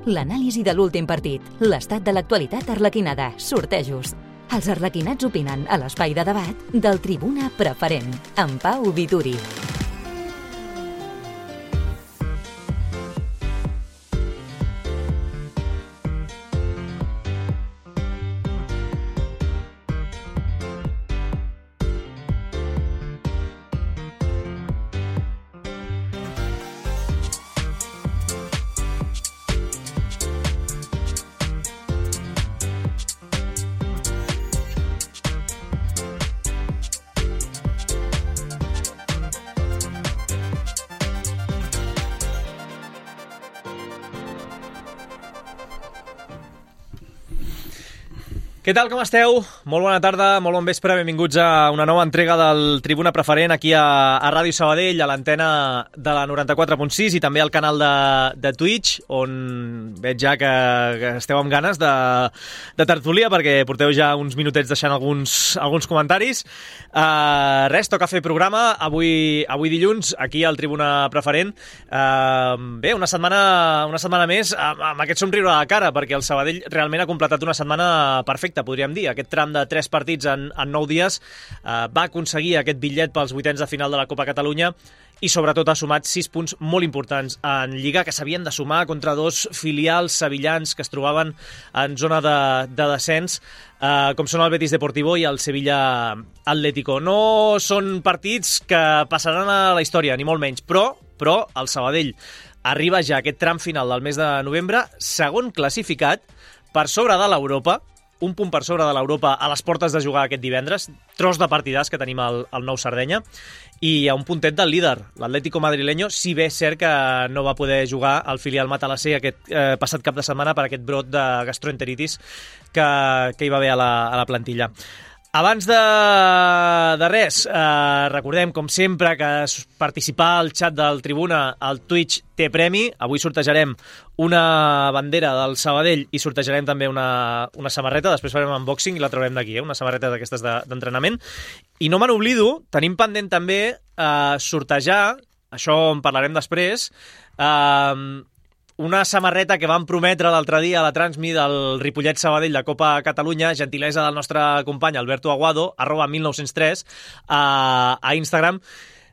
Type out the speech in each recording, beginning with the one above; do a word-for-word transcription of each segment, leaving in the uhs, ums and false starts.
L'anàlisi de l'últim partit, l'estat de l'actualitat arlequinada, sortejos. Els arlequinats opinen a l'espai de debat del Tribuna Preferent, amb Pau Vituri. Què tal, com esteu? Molt bona tarda, molt bon vespre, benvinguts a una nova entrega del Tribuna Preferent aquí a, a Ràdio Sabadell, a l'antena de la noranta-quatre punt sis i també al canal de, de Twitch, on veig ja que, que esteu amb ganes de, de tertúlia, perquè porteu ja uns minutets deixant alguns, alguns comentaris. Uh, res, toca fer programa avui, avui dilluns, aquí al Tribuna Preferent. Uh, bé, una setmana, una setmana més amb, amb aquest somriure a la cara, perquè el Sabadell realment ha completat una setmana perfecta, podríem dir. Aquest tram de tres partits en, en nou dies eh, va aconseguir aquest bitllet pels vuitens de final de la Copa Catalunya i sobretot ha sumat sis punts molt importants en Lliga, que s'havien de sumar contra dos filials sevillans que es trobaven en zona de, de descens, eh, com són el Betis Deportivo i el Sevilla Atlético. No són partits que passaran a la història, ni molt menys, però, però el Sabadell arriba ja a aquest tram final del mes de novembre, segon classificat, per sobre de l'Europa, un punt per sobre de l'Europa a les portes de jugar aquest divendres, tros de partidars que tenim al, al Nou Sardenya, i a un puntet del líder, l'Atlético madrileño, si bé és cert que no va poder jugar al filial Matalassé aquest eh, passat cap de setmana per aquest brot de gastroenteritis que, que hi va haver a la, a la plantilla. Abans de, de res, eh, recordem, com sempre, que participar al xat del Tribuna al Twitch té premi. Avui sortejarem una bandera del Sabadell i sortejarem també una, una samarreta. Després farem un unboxing i la traurem d'aquí, eh? Una samarreta d'aquestes de, d'entrenament. I no me n'oblido, tenim pendent també eh, sortejar, això en parlarem després, eh, una samarreta que vam prometre l'altre dia a la Transmi del Ripollet Sabadell de Copa Catalunya, gentilesa del nostre company Alberto Aguado, arroba mil nou-cents tres, a, a Instagram,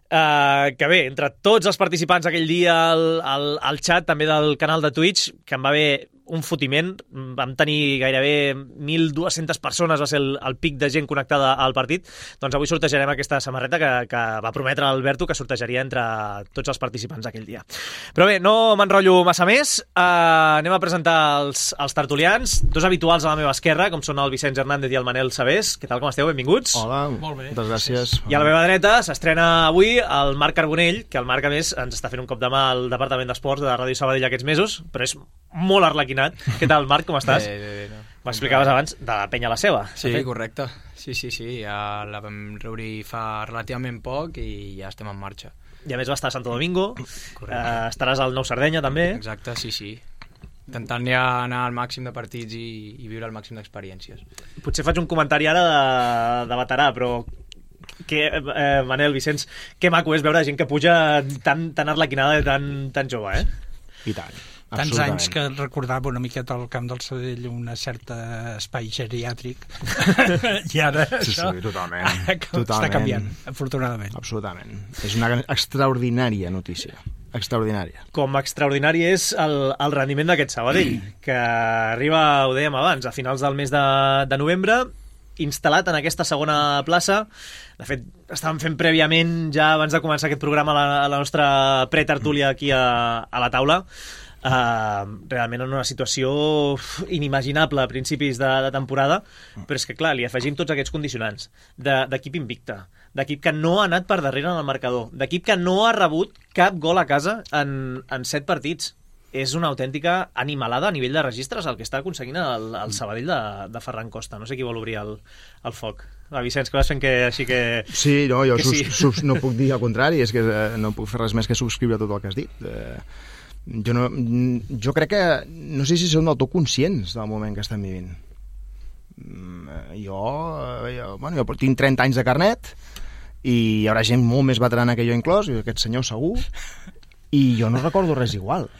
Uh, que bé, entre tots els participants aquell dia al, al, al xat també del canal de Twitch, que em va haver un fotiment, vam tenir gairebé mil dues-centes persones, va ser el, el pic de gent connectada al partit. Doncs avui sortejarem aquesta samarreta que, que va prometre l'Alberto que sortejaria entre tots els participants aquell dia. Però bé, no m'enrotllo massa més, uh, anem a presentar els, els tertulians, dos habituals a la meva esquerra, com són el Vicenç Hernández i el Manel Sabés. Què tal, com esteu? Benvinguts. Hola, molt bé. Moltes gràcies. I a la meva dreta s'estrena avui el Marc Carbonell, que el Marc, a més, ens està fent un cop de mà al Departament d'Esports de Ràdio Sabadell aquests mesos, però és molt arlequinat. Què tal, Marc, com estàs? Bé, bé, bé. No. M'explicaves abans de la penya la seva. Sí, correcte. Sí, sí, sí. Ja la vam reobrir fa relativament poc i ja estem en marxa. I a més va estar a Santo Domingo. Eh, estaràs al Nou Sardenya, també. Exacte, sí, sí. Intentant ja anar al màxim de partits i, i viure el màxim d'experiències. Potser faig un comentari ara de, de veterà, però que, eh, Manel, Vicenç, que maco és veure gent que puja tan, tan arlequinada i tan, tan jove, eh? I tant. Tants anys que recordava una miqueta al Camp del Sabadell un cert espai geriàtric i ara sí, això sí, totalment. totalment. Està canviant, afortunadament. Absolutament. És una extraordinària notícia. Extraordinària. Com extraordinari és el, el rendiment d'aquest Sabadell, que arriba, ho dèiem abans, a finals del mes de, de novembre, instal·lat en aquesta segona plaça. De fet, estàvem fent prèviament, ja abans de començar aquest programa, la, la nostra pretertúlia aquí a, a la taula. Uh, realment en una situació inimaginable a principis de, de temporada, però és que clar, li afegim tots aquests condicionants d'equip invicte, d'equip que no ha anat per darrere en el marcador, d'equip que no ha rebut cap gol a casa en, en set partits. És una autèntica animalada a nivell de registres el que està aconseguint el, el Sabadell de, de Ferran Costa. No sé qui vol obrir el, el foc. Va, Vicenç, que vas fent que així que... Sí, no, jo sus, sí. sus, no puc dir el contrari, és que eh, no puc fer res més que subscriure tot el que has dit. Eh, jo, no, jo crec que no sé si són del tot conscients del moment que estem vivint. Jo, jo, bueno, jo tinc trenta anys de carnet i hi haurà gent molt més veterana que jo inclòs, aquest senyor segur, i jo no recordo res igual.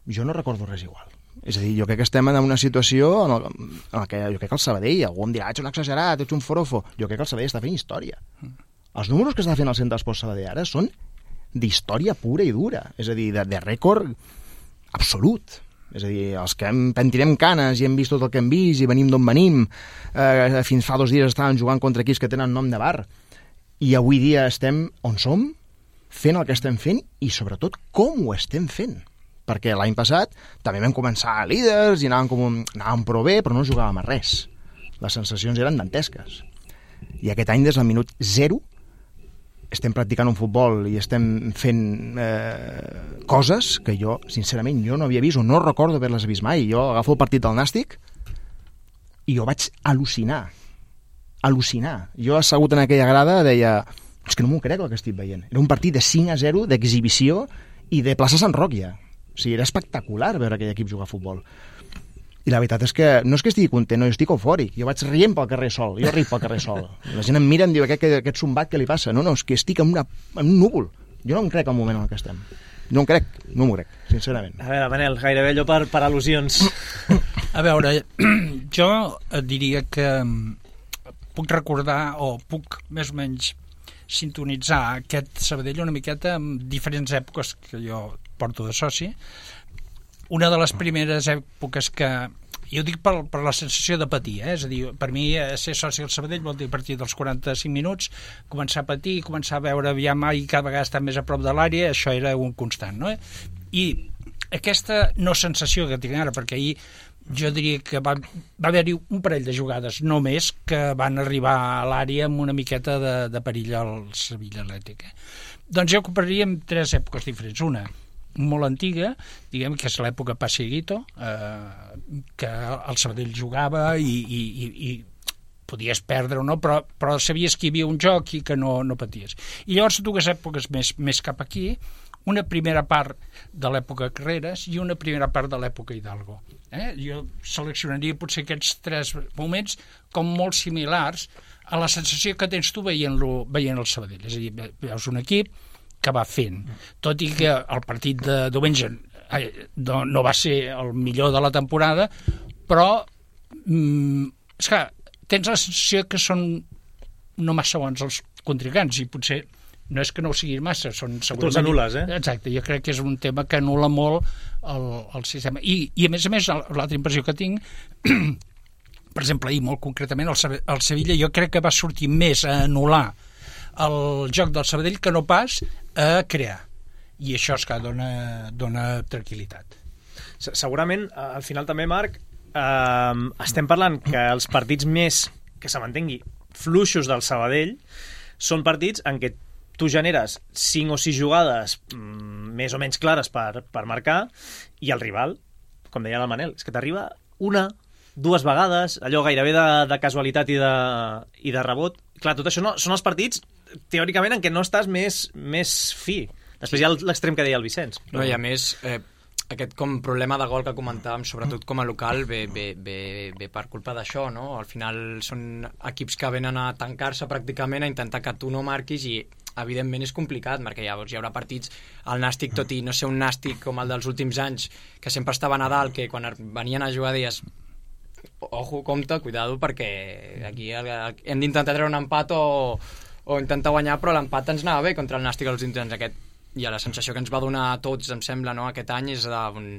Jo no recordo res igual. És a dir, jo crec que estem en una situació en, el, en la que jo crec que el Sabadell, algú em dirà, ets un exagerat, ets un forofo. Jo crec que el Sabadell està fent història. Els números que està fent el Centre d'Esports Sabadell ara són d'història pura i dura, és a dir, de, de rècord absolut. És a dir, els que hem pentirem canes i hem vist tot el que hem vist i venim d'on venim, eh, fins fa dos dies estàvem jugant contra equips que tenen nom de bar, i avui dia estem on som, fent el que estem fent i sobretot com ho estem fent. Perquè l'any passat també vam començar líders i anàvem, com, anàvem prou bé, però no jugàvem a res. Les sensacions eren dantesques. I aquest any, des del minut zero, estem practicant un futbol i estem fent eh, coses que jo, sincerament, jo no havia vist o no recordo haver-les vist mai. Jo agafo el partit del Nàstic i jo vaig al·lucinar. Al·lucinar. Jo assegut en aquella grada deia, és que no m'ho crec el que estic veient. Era un partit de cinc a zero, d'exhibició i de plaça Sant Roc ja. O sigui, era espectacular veure aquell equip jugar a futbol. I la veritat és que no és que estigui content, no, jo estic eufòric. Jo vaig rient pel carrer sol, jo ric pel carrer sol. La gent em mira i em diu, aquest, aquest zumbat, què li passa? No, no, és que estic en, una, en un núvol. Jo no em crec el moment en el que estem. No em crec, no m'ho crec, sincerament. A veure, Manel, gairebé allò per, per al·lusions. A veure, jo et diria que puc recordar, o puc més o menys sintonitzar aquest Sabadell una miqueta en diferents èpoques que jo porto de soci. Una de les primeres èpoques que... Jo dic per, per la sensació de patir, eh? És a dir, per mi ser soci del Sabadell vol dir a partir dels quaranta-cinc minuts començar a patir, començar a veure aviam i cada vegada estar més a prop de l'àrea, això era un constant, no? I aquesta no sensació que tinc ara, perquè ahir jo diria que va, va haver-hi un parell de jugades només que van arribar a l'àrea amb una miqueta de, de perill al Sevilla Atlètic. Eh? Doncs jo compararia amb tres èpoques diferents. Una, molt antiga, diguem que és l'època Passeguito, eh, que el Sabadell jugava i, i, i, i podies perdre o no, però, però sabies que hi havia un joc i que no, no paties. I llavors dues èpoques més, més cap aquí, una primera part de l'època Carreras i una primera part de l'època Hidalgo. Eh? Jo seleccionaria potser aquests tres moments com molt similars a la sensació que tens tu veient-lo veient el Sabadell. És a dir, veus un equip que va fent, tot i que el partit de diumenge no, no va ser el millor de la temporada, però mm, és que tens la sensació que són no massa bons els contrincants i potser no és que no ho siguin massa, són segurament... Tu els anules, eh? Exacte, jo crec que és un tema que anul·la molt el, el sistema. I, I a més a més, l'altra impressió que tinc, per exemple, ahir molt concretament, el, el Sevilla jo crec que va sortir més a anul·lar el joc del Sabadell que no pas a crear. I això és que dona, dona tranquil·litat. Segurament, al final també, Marc, eh, estem parlant que els partits més, que se m'entengui, fluixos del Sabadell són partits en què tu generes cinc o sis jugades mm, més o menys clares per, per marcar i el rival, com deia el Manel, és que t'arriba una, dues vegades, allò gairebé de, de casualitat i de, i de rebot. Clar, tot això no, són els partits teòricament en què no estàs més, més fi. Després hi ha l'extrem que deia el Vicenç. No, i a més, eh, aquest com problema de gol que comentàvem, sobretot com a local, ve, ve, ve, ve per culpa d'això, no? Al final són equips que venen a tancar-se pràcticament, a intentar que tu no marquis i evidentment és complicat, perquè llavors hi haurà partits al Nàstic, tot i no ser un Nàstic com el dels últims anys, que sempre estava a Nadal, que quan venien a jugar deies ojo, compte, cuidado, perquè aquí hem d'intentar treure un empat o, o intentar guanyar, però l'empat ens anava bé contra el Nàstic als últims anys. Aquest, i la sensació que ens va donar a tots, em sembla, no, aquest any és on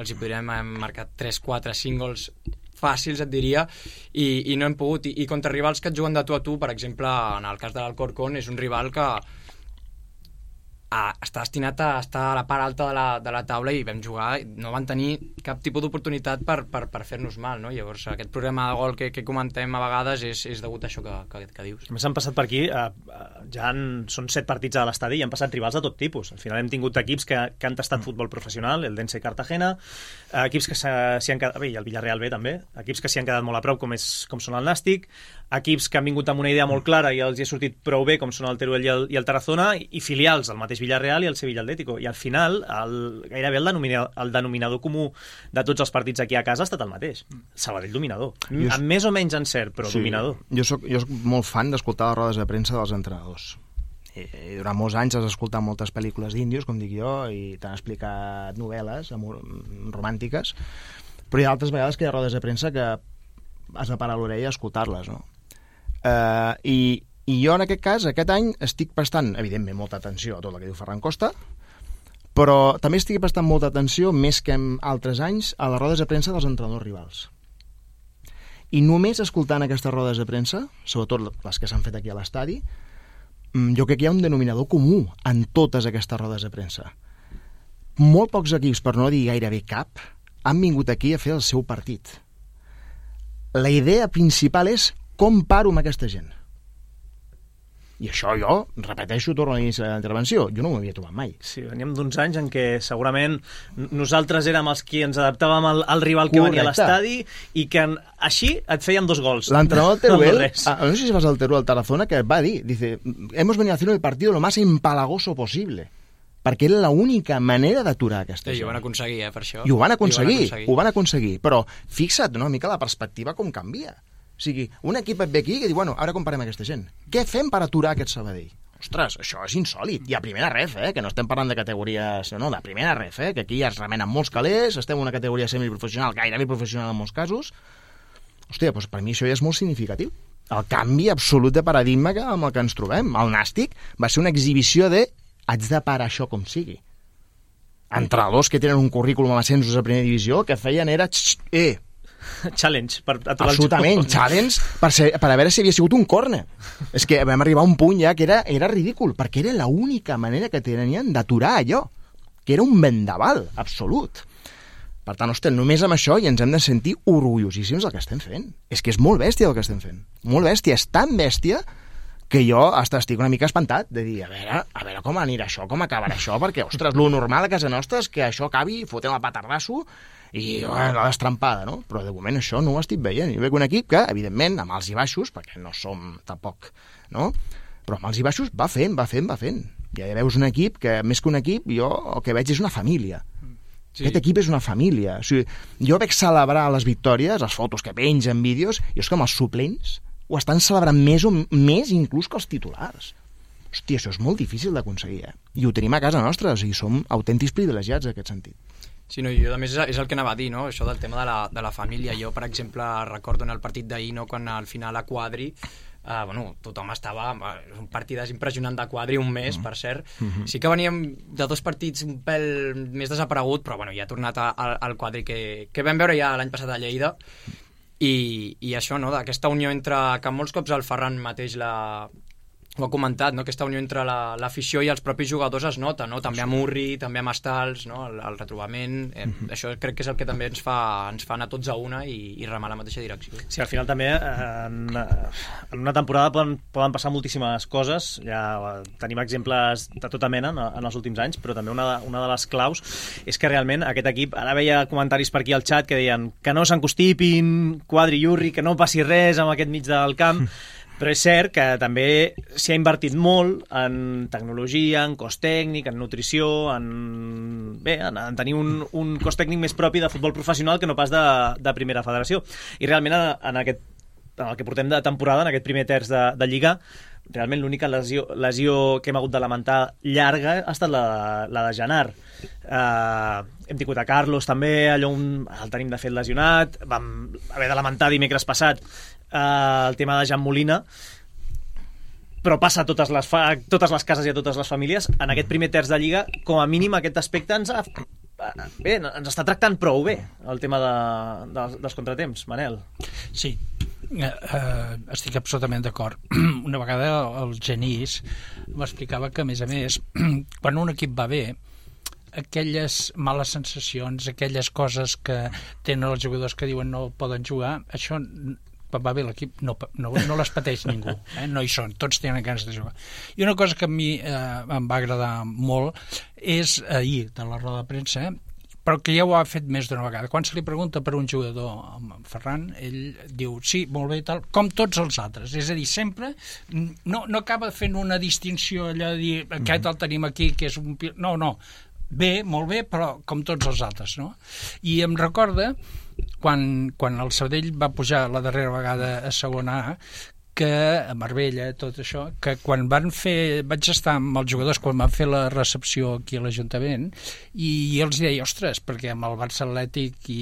els hi podríem marcar tres, quatre, cinc gols fàcils, et diria, i, i no hem pogut. I, i contra rivals que et juguen de tu a tu, per exemple, en el cas de l'Alcorcón, és un rival que a, està destinat a estar a la part alta de la, de la taula i vam jugar, no van tenir cap tipus d'oportunitat per, per, per fer-nos mal, no? Llavors aquest problema de gol que, que comentem a vegades és, és degut a això que, que, que dius. A més han passat per aquí, eh, ja han, són set partits a l'estadi i han passat rivals de tot tipus. Al final hem tingut equips que, que han tastat futbol professional, el Dense Cartagena, eh, equips que s'hi han quedat, bé, i el Villarreal B també, equips que s'hi han quedat molt a prop com, és, com són el Nàstic, equips que han vingut amb una idea molt clara i els hi ha sortit prou bé com són el Teruel i el, i el Tarazona, i, i filials, el mateix Villarreal i el Sevilla Atlético, i al final el, gairebé el denominador, el denominador comú de tots els partits aquí a casa ha estat el mateix. Sabadell dominador, jo amb més o menys encert, però sí, dominador. Jo soc, jo soc molt fan d'escoltar les rodes de premsa dels entrenadors i, i durant molts anys has escoltat moltes pel·lícules d'índios, com dic jo, i t'han explicat novel·les amor, romàntiques, però hi ha altres vegades que hi ha rodes de premsa que has de parar l'orella a escoltar-les, no? Uh, i, I jo, en aquest cas, aquest any, estic prestant, evidentment, molta atenció a tot el que diu Ferran Costa, però també estic prestant molta atenció, més que en altres anys, a les rodes de premsa dels entrenadors rivals. I només escoltant aquestes rodes de premsa, sobretot les que s'han fet aquí a l'estadi, jo crec que hi ha un denominador comú en totes aquestes rodes de premsa. Molt pocs equips, per no dir gairebé cap, han vingut aquí a fer el seu partit. La idea principal és com paro amb aquesta gent. I això jo, repeteixo, torno a l'inici de la intervenció, jo no m'ho havia trobat mai. Sí, veníem d'uns anys en què segurament nosaltres érem els qui ens adaptàvem al, al rival que Correcte. Venia a l'estadi i que en, així et feien dos gols. L'entrenador del Teruel, no, no sé si vas al Teruel Tarazona, que va dir, dice, hemos venido a hacer el partido lo más empalagoso posible, perquè era l'única manera d'aturar aquesta sí, gent. I ho van aconseguir, eh, per això. I ho van aconseguir, ho van aconseguir, ho van aconseguir. Però fixa't una mica la perspectiva com canvia. O sigui, un equip et ve aquí i diu, bueno, ara comparem aquesta gent. Què fem per aturar aquest Sabadell? Ostres, això és insòlid. I a primera ref, eh, que no estem parlant de categories... No, de primera ref, eh, que aquí ja es remenen molts calés, estem en una categoria semiprofessional, gairebé professional en molts casos. Hòstia, doncs per mi això ja és molt significatiu. El canvi absolut de paradigma que, amb el que ens trobem. El Nàstic va ser una exhibició de haig de parar això com sigui. Entrenadors que tenen un currículum amb ascensos a primera divisió, el que feien era... Eh, challenge per aturar absolutament, el challenge per, ser, per a veure si havia sigut un córner. És que vam arribar a un punt ja que era, era ridícul, perquè era l'única manera que tenien d'aturar allò, que era un vendaval absolut. Per tant, hòstia, només amb això i ens hem de sentir orgullosíssims del que estem fent. És que és molt bèstia el que estem fent. Molt bèstia, és tan bèstia que jo hasta estic una mica espantat de dir, a veure, a veure com anirà això, com acabarà això, perquè, ostres, lo normal a casa nostra és que això acabi fotent el petardasso i bueno, la destrampada, no? Però de moment això no ho estic veient. Jo veig un equip que, evidentment, amb alts i baixos, perquè no som tampoc, no? Però amb alts i baixos va fent, va fent, va fent. Ja veus un equip que, més que un equip, jo el que veig és una família. Sí. Aquest equip és una família. O sigui, jo veig celebrar les victòries, les fotos que pengen, vídeos, i és com els suplents ho estan celebrant més o més inclús que els titulars. Hòstia, això és molt difícil d'aconseguir, eh? I ho tenim a casa nostra, o sigui, som autèntics privilegiats en aquest sentit. Sí, no, jo a més és el que anava a dir, no? Això del tema de la, de la família. Jo, per exemple, recordo en el partit d'ahir, no? Quan al final a Quadri, eh, bueno, tothom estava... Un partidàs impressionant de Quadri, un mes, mm. per cert. Mm-hmm. Sí que veníem de dos partits un pèl més desaparegut, però bueno, ja ha tornat al, al Quadri que, que vam veure ja l'any passat a Lleida. I, i això, no?, d'aquesta unió entre... que molts cops el Ferran mateix la... ho ha comentat, no?, aquesta unió entre la, l'afició i els propis jugadors es nota, no?, també amb Urri, també amb Estals, no?, el, el retrobament, eh, mm-hmm. això crec que és el que també ens fa, ens fa anar tots a una i, i remar la mateixa direcció. Sí, al final també en, en una temporada poden, poden passar moltíssimes coses, ja tenim exemples de tota mena en, en els últims anys, però també una, una de les claus és que realment aquest equip, ara veia comentaris per aquí al xat que deien que no s'encostipin Quadri i Urri, que no passi res amb aquest mig del camp, però és cert que també s'hi ha invertit molt en tecnologia, en cos tècnic, en nutrició, en, bé, en, en tenir un, un cos tècnic més propi de futbol professional que no pas de, de primera federació. I realment en, en, aquest, en el que portem de temporada, en aquest primer terç de, de Lliga, realment l'única lesió, lesió que hem hagut de lamentar llarga ha estat la, la de Genar. Uh, hem tingut a Carlos també, allò un, el tenim de fet lesionat, vam haver de lamentar dimecres passat Uh, el tema de Jan Molina, però passa a totes les, fa, totes les cases i a totes les famílies. En aquest primer terç de Lliga, com a mínim aquest aspecte ens, ha, bé, ens està tractant prou bé el tema de, de, dels contratemps. Manel? Sí, uh, uh, estic absolutament d'acord. Una vegada el Genís m'explicava que, a més a més, quan un equip va bé, aquelles males sensacions, aquelles coses que tenen els jugadors que diuen no poden jugar, això quan va bé l'equip no, no, no les pateix ningú, eh? No hi són, tots tenen ganes de jugar. I una cosa que a mi eh, em va agradar molt és ahir de la roda de premsa, eh? Però que ja ho ha fet més d'una vegada. Quan se li pregunta per un jugador, Ferran, ell diu, sí, molt bé i tal, com tots els altres. És a dir, sempre no, no acaba fent una distinció allò de dir, aquest el tenim aquí, que és un... No, no, bé, molt bé, però com tots els altres, no? I em recorda quan, quan el Sabadell va pujar la darrera vegada a segona A, que a Marbella, tot això, que quan van fer, vaig estar amb els jugadors quan van fer la recepció aquí a l'Ajuntament i els deia, ostres, perquè amb el Barça Atlètic i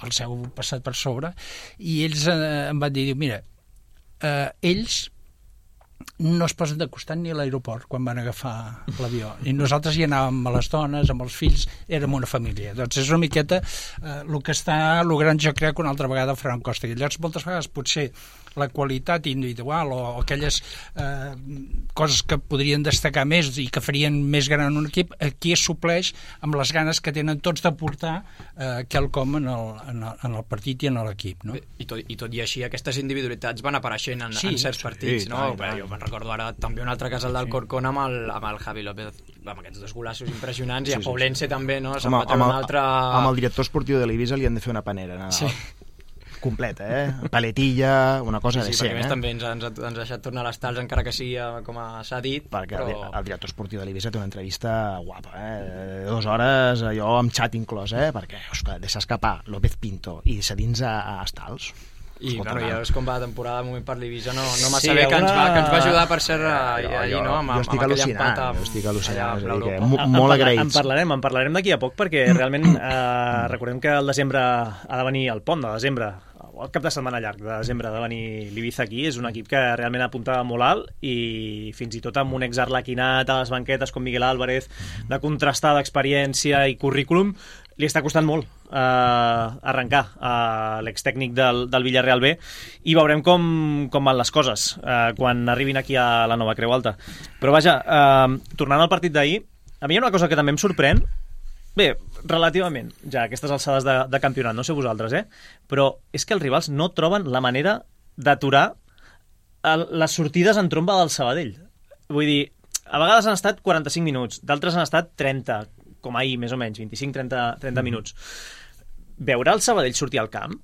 el seu passat per sobre, i ells eh, em van dir, mira, eh, ells no es posen de costat ni a l'aeroport quan van agafar l'avió. I nosaltres hi anàvem amb les dones, amb els fills, érem una família. Doncs és una miqueta eh, el que està logrant, jo crec, una altra vegada Ferran Costa. I llavors, moltes vegades, potser la qualitat individual o, o aquelles eh, coses que podrien destacar més i que farien més gran un equip, aquí es supleix amb les ganes que tenen tots de portar eh, quelcom en el, en, el, en el partit i en l'equip, no? I tot, I tot i així, aquestes individualitats van apareixent en, sí, en certs partits, sí, no? tant, tant. Jo me'n recordo ara també un altre cas, el del sí. Corcón amb el, amb el Javi López, amb aquests dos golassos impressionants, sí, i a Poblense sí, sí. també, no? Se'n va treure un altre... Amb el director esportiu de l'Eivissa li han de fer una panera, no? Sí. Completa, eh? Paletilla, una cosa sí, sí, decent, perquè més eh? també ens, ens, ens ha deixat tornar a les tals, encara que sigui com s'ha dit, perquè però... el, el director esportiu de l'Eivissa té una entrevista guapa, eh? Dues hores, allò amb xat inclòs, eh? Perquè, ostres, deixar escapar López Pinto i deixar dins a, a Estals. I escolta, bueno, ja és com va la temporada de moment per l'Eivissa, no, no m'ha sí, saber que, una... ens va, que ens va ajudar per ser allí, jo, no? Amb, jo estic amb al·lucinant, amb, jo estic al·lucinant, allà, és a dir, que Europa. molt agraïts. En parlarem, en parlarem d'aquí a poc, perquè realment eh, recordem que el desembre ha de venir, el pont de desembre, el cap de setmana llarg de desembre ha de venir l'Ibiza aquí, és un equip que realment apunta molt alt i fins i tot amb un exarlequinat a les banquetes com Miguel Álvarez, de contrastar d'experiència i currículum, li està costant molt eh, arrencar eh, l'extècnic del, del Villarreal B i veurem com, com van les coses eh, quan arribin aquí a la nova Creu Alta. Però vaja, eh, tornant al partit d'ahir, a mi hi ha una cosa que també em sorprèn. Bé, relativament, ja aquestes alçades de, de campionat, no sé vosaltres, eh? Però és que els rivals no troben la manera d'aturar el, les sortides en tromba del Sabadell. Vull dir, a vegades han estat quaranta-cinc minuts, d'altres han estat trenta, com ahir, més o menys, vint-i-cinc a trenta minuts. Veure el Sabadell sortir al camp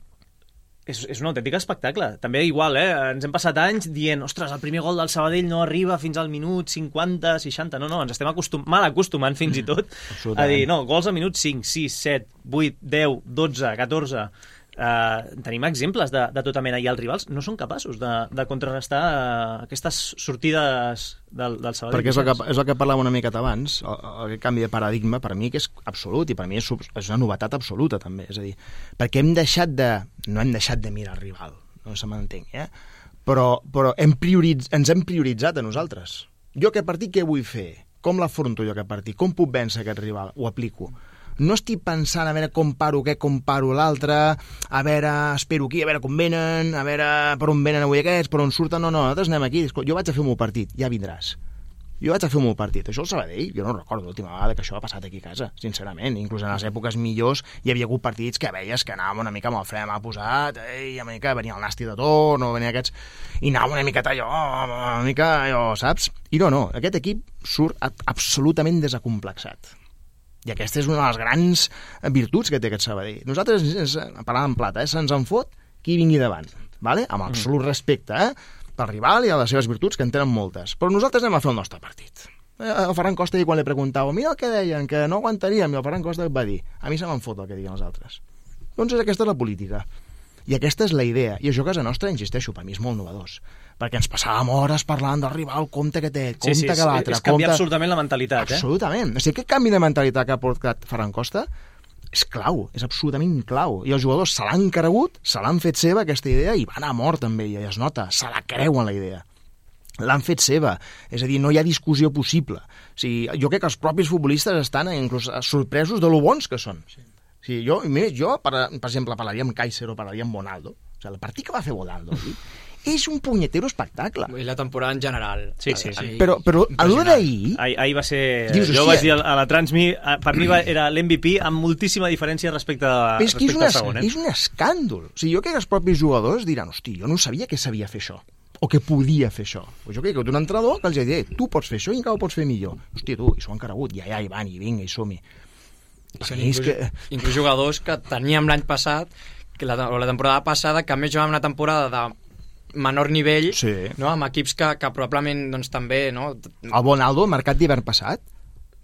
és, és un autèntic espectacle. També igual, eh? Ens hem passat anys dient, ostres, el primer gol del Sabadell no arriba fins al minut cinquanta, seixanta. No, no, ens estem acostum mal acostumant fins i tot a dir, no, gols al minut cinc, sis, set, vuit, deu, dotze, catorze... Uh, tenim exemples de, de tota mena i els rivals no són capaços de, de contrarrestar uh, aquestes sortides del, del Sabadell. Perquè és el, que, és el que parlàvem una miqueta abans, el, el canvi de paradigma per mi que és absolut i per mi és, és una novetat absoluta també, és a dir, perquè hem deixat de no hem deixat de mirar el rival, no se m'entenc, eh? però, però hem prioritz, ens hem prioritzat a nosaltres. Jo aquest partit què vull fer? Com l'afronto jo aquest partit? Com puc vèncer aquest rival? Ho aplico. No estic pensant a veure com paro què, com paro l'altre, a veure, espero aquí, a veure com venen, a veure per on venen avui aquests, per on surten, no, no, nosaltres anem aquí, jo vaig a fer el meu partit, ja vindràs. Jo vaig a fer el meu partit. Això el Sabadell, jo no recordo l'última vegada que això ha passat aquí a casa, sincerament. Inclús en les èpoques millors hi havia hagut partits que veies que anàvem una mica amb el fre mà posat, i una mica venia el Nasti de torn, o venia aquests, i anàvem una miqueta allò, una mica allò, saps? I no, no, aquest equip surt absolutament desacomplexat. I aquesta és una de les grans virtuts que té aquest Sabadell. Nosaltres, ens, parlant en plata, eh, se'ns en fot qui vingui davant, ¿vale? Amb absolut respecte, eh? Pel rival i a les seves virtuts, que en tenen moltes. Però nosaltres anem a fer el nostre partit. El Ferran Costa, quan li preguntava, mira el que deien, que no aguantaríem, i el Ferran Costa va dir, a mi se me'n fot el que diguen els altres. Doncs aquesta és la política. I aquesta és la idea. I això a casa nostra, insisteixo, per mi és molt novedós. Perquè ens passàvem hores parlant del rival, compte que té, compte sí, sí, que l'altre. És canviar compte... absolutament la mentalitat, eh? Absolutament. O sigui, aquest canvi de mentalitat que ha portat Ferran Costa és clau, és absolutament clau. I els jugadors se l'han cregut, se l'han fet seva, aquesta idea, i van a mort amb ella, i es nota, se la creuen, la idea. L'han fet seva, és a dir, no hi ha discussió possible. O sigui, jo crec que els propis futbolistes estan inclús sorpresos de lo bons que són. Sí. O sigui, jo, jo per, per exemple, parlaria amb Kaiser o parlaria amb Bonaldo. O sigui, el partit que va fer Bonaldo és un punyetero espectacle. I la temporada en general. Sí, sí, sí. Però, però a l'hora d'ahir... Ahir, ahir va ser... Dius, jo vaig dir a la Transmi, per mi va, era l'M V P amb moltíssima diferència respecte, a, és que respecte és al segon. Eh? És un escàndol. O sigui, jo crec que els propis jugadors diran, hosti, jo no sabia que sabia fer això o que podia fer això. Pues jo crec que un entrenador que els ha dit, tu pots fer això i encara ho pots fer millor. Hòstia, tu, i s'ho han cregut, ja, ja, i van, i vinga, i som-hi. Són inclús, que... inclús jugadors que teníem l'any passat, que la, o la temporada passada, que a més jugàvem una temporada de menor nivell, sí. No? Amb equips que, que probablement doncs, també... No? El Bonaldo, marcat d'hivern passat,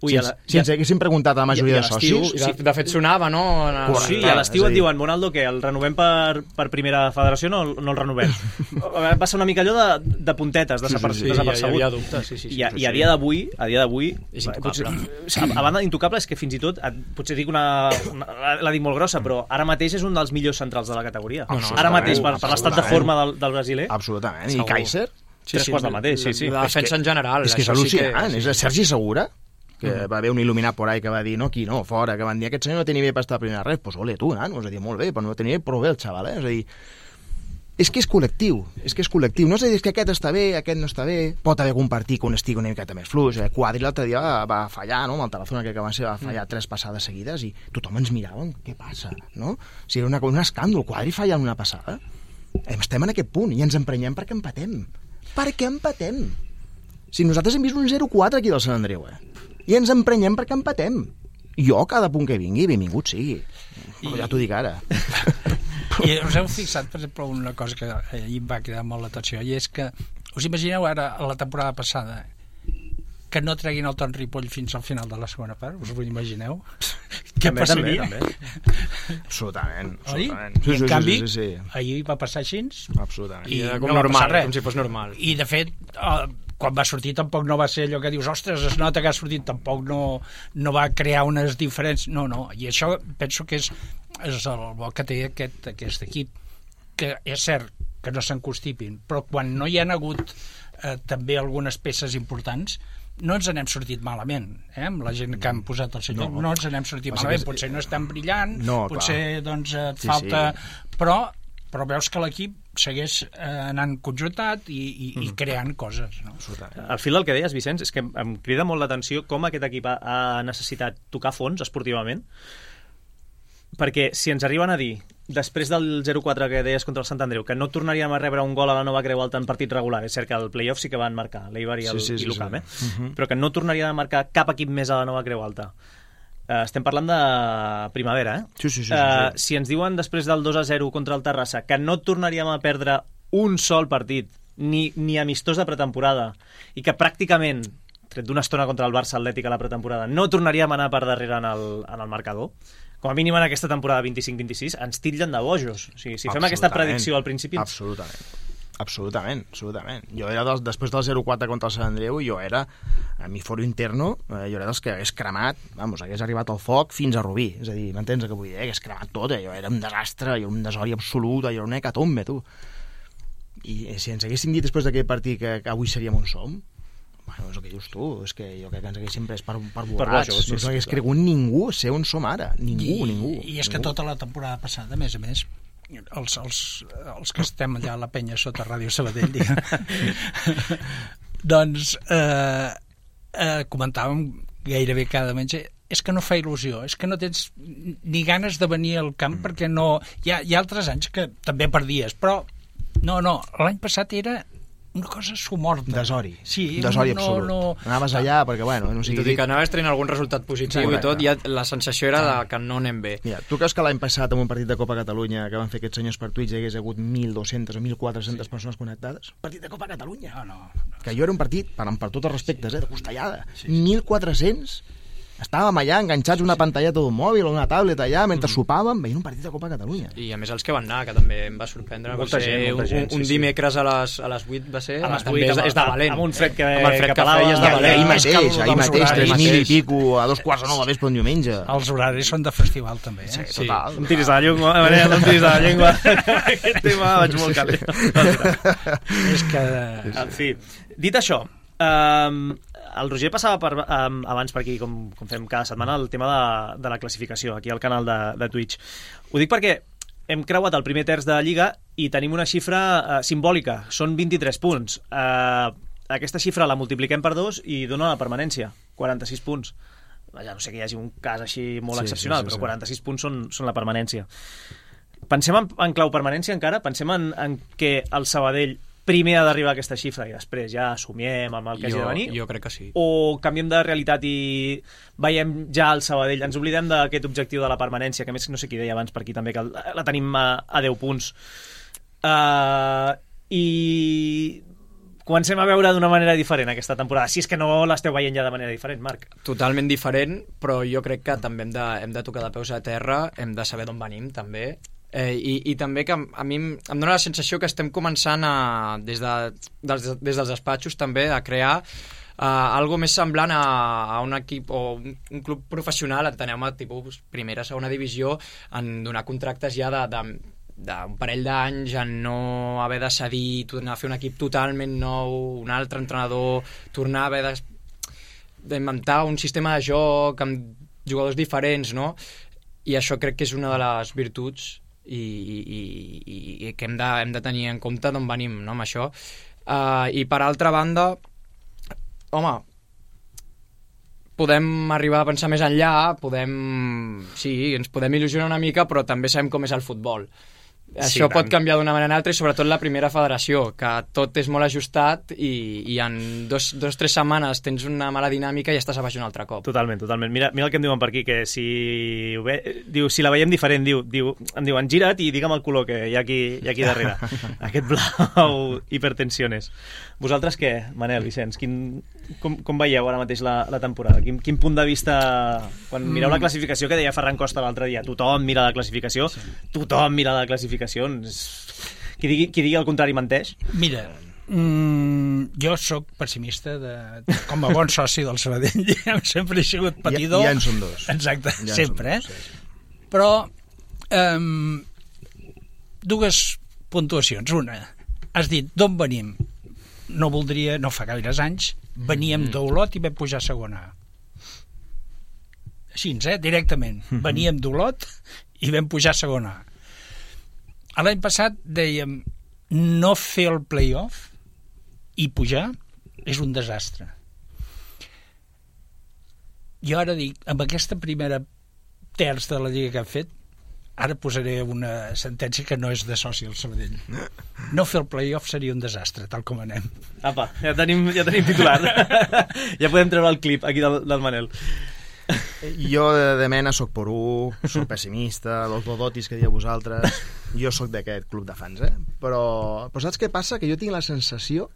Ui, si, la, ens, si ens haguéssim preguntat a la majoria de socis... De, de fet, sonava, no? Correcte. Sí, a l'estiu et diuen, Bonaldo, que el renovem per, per primera federació, no, no el renovem. Va ser una mica allò de, de puntetes, desapercebut. Sí, sí, sí, hi havia dubtes. Sí, sí, sí, I, a, i a dia d'avui, a dia d'avui... És intocable. Potser, a banda d'intocable és que fins i tot, potser dic una, una... la dic molt grossa, però ara mateix és un dels millors centrals de la categoria. No, no, ara mateix, per, per l'estat de forma del, del brasiler. Absolutament. I Kaiser? Sí, tres sí, quarts del mateix, sí, sí. La defensa en general. És que és al·lucinant. Sí que... És Sergi Segura, que mm. va haver un il·luminat por ahí que va dir, no, aquí no, fora, que van dir, aquest senyor no té nivell per estar a primera res, doncs ole, tu, nano, és a dir, molt bé, però no té nivell, prou bé el xaval, eh? És a dir, és que és col·lectiu, és que és col·lectiu, no és a dir, és que aquest està bé, aquest no està bé, pot haver algun partit que un estigui una miqueta més fluix, eh? Quadri l'altre dia va, va fallar, no?, amb el Tarazona, que va, ser, va fallar tres passades seguides i tothom ens mirava, què passa, no? O sigui, era una, un escàndol, Quadri fallant una passada. Estem en aquest punt i ens emprenyem perquè empatem. Per què empatem? Si nosaltres hem vist un zero quatre aquí del Sant Andreu, eh? I ens emprenyem perquè empatem. Jo, cada punt que vingui, benvingut sigui. I... Ja t'ho dic ara. I us heu fixat, per exemple, una cosa que ahir em va quedar molt l'atenció, i és que, us imagineu ara, a la temporada passada, que no treguin el Ton Ripoll fins al final de la segona part? Us ho imagineu? Què també, passaria? També, també. Absolutament. Oi? absolutament. Sí, I en sí, canvi, sí, sí, sí. ahir va passar així. Absolutament. I com no normal, va com si fos normal. I, de fet, eh, quan va sortir tampoc no va ser allò que dius, ostres, es nota que ha sortit, tampoc no, no va crear unes diferències. No, no, i això penso que és, és el bo que té aquest, aquest equip, que és cert que no s'encostipin, però quan no hi han hagut eh, també algunes peces importants, no ens n'hem sortit malament, eh? Amb la gent que han posat el senyor, no, no ens n'hem sortit malament, potser no és tan brillant, no, potser doncs, et sí, falta... Sí. Però, però veus que l'equip segueix eh, anant conjuntat i, i, mm. i creant coses. No? Al fil del que deies, Vicenç, és que em crida molt l'atenció com aquest equip ha, ha necessitat tocar fons esportivament, perquè si ens arriben a dir, després del zero quatre que deies contra el Sant Andreu, que no tornaríem a rebre un gol a la Nova Creu Alta en partit regular, és cert que el play-off sí que van marcar, l'Eibar i el sí, sí, sí, l'U C A M, eh? sí. Uh-huh. Però que no tornaria a marcar cap equip més a la Nova Creu Alta. Uh, estem parlant de primavera, eh? Sí, sí, sí, sí, uh, sí. Si ens diuen després del dos a zero contra el Terrassa que no tornaríem a perdre un sol partit, ni, ni amistós de pretemporada, i que pràcticament, tret d'una estona contra el Barça Atlètic a la pretemporada, no tornaríem a anar per darrere en el, en el marcador, com a mínim en aquesta temporada vint-i-cinc vint-i-sis, ens titllen de bojos. O sigui, si fem aquesta predicció al principi... Absolutament. Absolutament, absolutament. Jo era dels, després del zero quatre contra el Sant Andreu, jo era, a mi foro interno, eh, jo era dels que hagués cremat, vamos, hagués arribat al foc fins a Rubí. És a dir, m'entens el que vull dir? Hagués cremat tot, eh? Jo era un desastre, jo era un desori absolut, jo era una hecatombe, tu. I eh, si ens haguéssim dit després d'aquest partit que, que avui seríem on som, bueno, és el que dius tu, és que jo crec que ens haguéssim pres per, per borrats, no sí, s'hagués sí, cregut ningú ser on som ara, ningú, I, ningú. I és ningú. que tota la temporada passada, a més a més, els, els, els que estem allà a la penya sota Ràdio Sabadell, doncs eh, eh, comentàvem gairebé cada menjar, és que no fa il·lusió, és que no tens ni ganes de venir al camp mm. perquè no... Hi ha, hi ha altres anys que també perdies, però no, no, l'any passat era una cosa somorta. Desori. Sí, Desori no, absolut. No, Anaves allà perquè, bueno... No sigui, tot i que anaves traient algun resultat positiu sí, i tot, ja la sensació era de que no anem bé. Mira, tu creus que l'any passat en un partit de Copa Catalunya que van fer aquests senyors per Twitch hi hagués hagut mil dos-centes o mil quatre-centes sí. persones connectades? Partit de Copa Catalunya. No, no, no. Que jo era un partit, per, per tots els respectes, eh, de costellada. Sí, sí. mil quatre-cents... Estàvem allà enganxats una pantalleta d'un mòbil o una tablet allà mentre mm. sopàvem veient un partit de Copa Catalunya. I a més els que van anar, que també em va sorprendre, molta va ser gent, molta gent, un, un sí, dimecres a les, a les vuit va ser... A les vuit, és, és de valent. Amb un fred que, amb el fred que, que pelava. Feia, és de valent. Ahir mateix, ahir mateix, tres mil i pico, a dos quarts de nou de vespre un diumenge. Els horaris són de festival també, eh? Sí, total. Sí. Em tiris de la llengua, Manel, no em tiris de la llengua. Aquest tema vaig molt calent. És que... En fi, dit això, um, el Roger passava per, um, abans per aquí, com, com fem cada setmana, el tema de, de la classificació, aquí al canal de, de Twitch. Ho dic perquè hem creuat el primer terç de la Lliga i tenim una xifra uh, simbòlica, són vint-i-tres punts. Uh, aquesta xifra la multipliquem per dos i dona la permanència, quaranta-sis punts. Vaja, no sé que hi hagi un cas així molt sí, excepcional, sí, sí, però quaranta-sis punts són, són la permanència. Pensem en, en clau permanència encara? Pensem en, en que el Sabadell primer ha d'arribar a aquesta xifra i després ja assumiem amb el que jo, hagi de venir? Jo crec que sí. O canviem de realitat i veiem ja el Sabadell, ens oblidem d'aquest objectiu de la permanència, que a més no sé qui deia abans per aquí també, que la tenim a, a deu punts. Uh, I comencem a veure d'una manera diferent aquesta temporada, si és que no l'esteu veient ja de manera diferent, Marc. Totalment diferent, però jo crec que també hem de, hem de tocar de peus a terra, hem de saber d'on venim, també, eh, i, i també que a mi em, em dóna la sensació que estem començant a, des, de, des, des dels despatxos també a crear Uh, algo més semblant a, a un equip o un, un club professional, enteneu-me, tipus primera, segona divisió, en donar contractes ja de, de, d'un parell d'anys, en no haver de cedir, tornar a fer un equip totalment nou, un altre entrenador, tornar a haver de, d'inventar un sistema de joc amb jugadors diferents, no? I això crec que és una de les virtuts i, i, i, i que hem de, hem de tenir en compte d'on venim, no, amb això. Uh, I per altra banda, home, podem arribar a pensar més enllà, podem... Sí, ens podem il·lusionar una mica, però també sabem com és el futbol. Això sí, pot canviar d'una manera o altra, i sobretot la primera federació, que tot és molt ajustat i, i en dos o tres setmanes tens una mala dinàmica i estàs a baix un altre cop. Totalment, totalment. Mira, mira el que em diuen per aquí, que si, ve, diu, si la veiem diferent, diu, diu, em diuen gira't i digue'm el color que hi ha aquí, hi ha aquí darrere. Aquest blau hipertensiones. Vosaltres què, Manel, Vicenç? Quin, com, com veieu ara mateix la, la temporada? Quin, quin punt de vista... Quan mireu la classificació, que deia Ferran Costa l'altre dia, tothom mira la classificació, sí. tothom mira la classificació. Qui digui, qui digui el contrari menteix? Mira, mm, jo sóc pessimista de, com a bon soci del Sabadell. Sempre he sigut patidor. Ja, ja en som dos. Exacte, ja sempre. Dos, eh? sí, sí. Però um, dues puntuacions. Una, has dit d'on venim? No voldria, no fa gaires anys, veníem mm. d'Olot i vam pujar a segona A. Així, eh? Directament. Mm-hmm. Veníem d'Olot i vam pujar a segona A. L'any passat dèiem no fer el play-off i pujar és un desastre. Jo ara dic, amb aquesta primera terç de la lliga que hem fet, ara posaré una sentència que no és de soci al Sabadell. No fer el play-off seria un desastre, tal com anem. Apa, ja tenim, ja tenim titular. Ja podem treure el clip aquí del, del Manel. Jo de, de mena soc porú, soc pessimista, los dodotis que dieu vosaltres, jo soc d'aquest club de fans, eh? Però, però saps què passa? Que jo tinc la sensació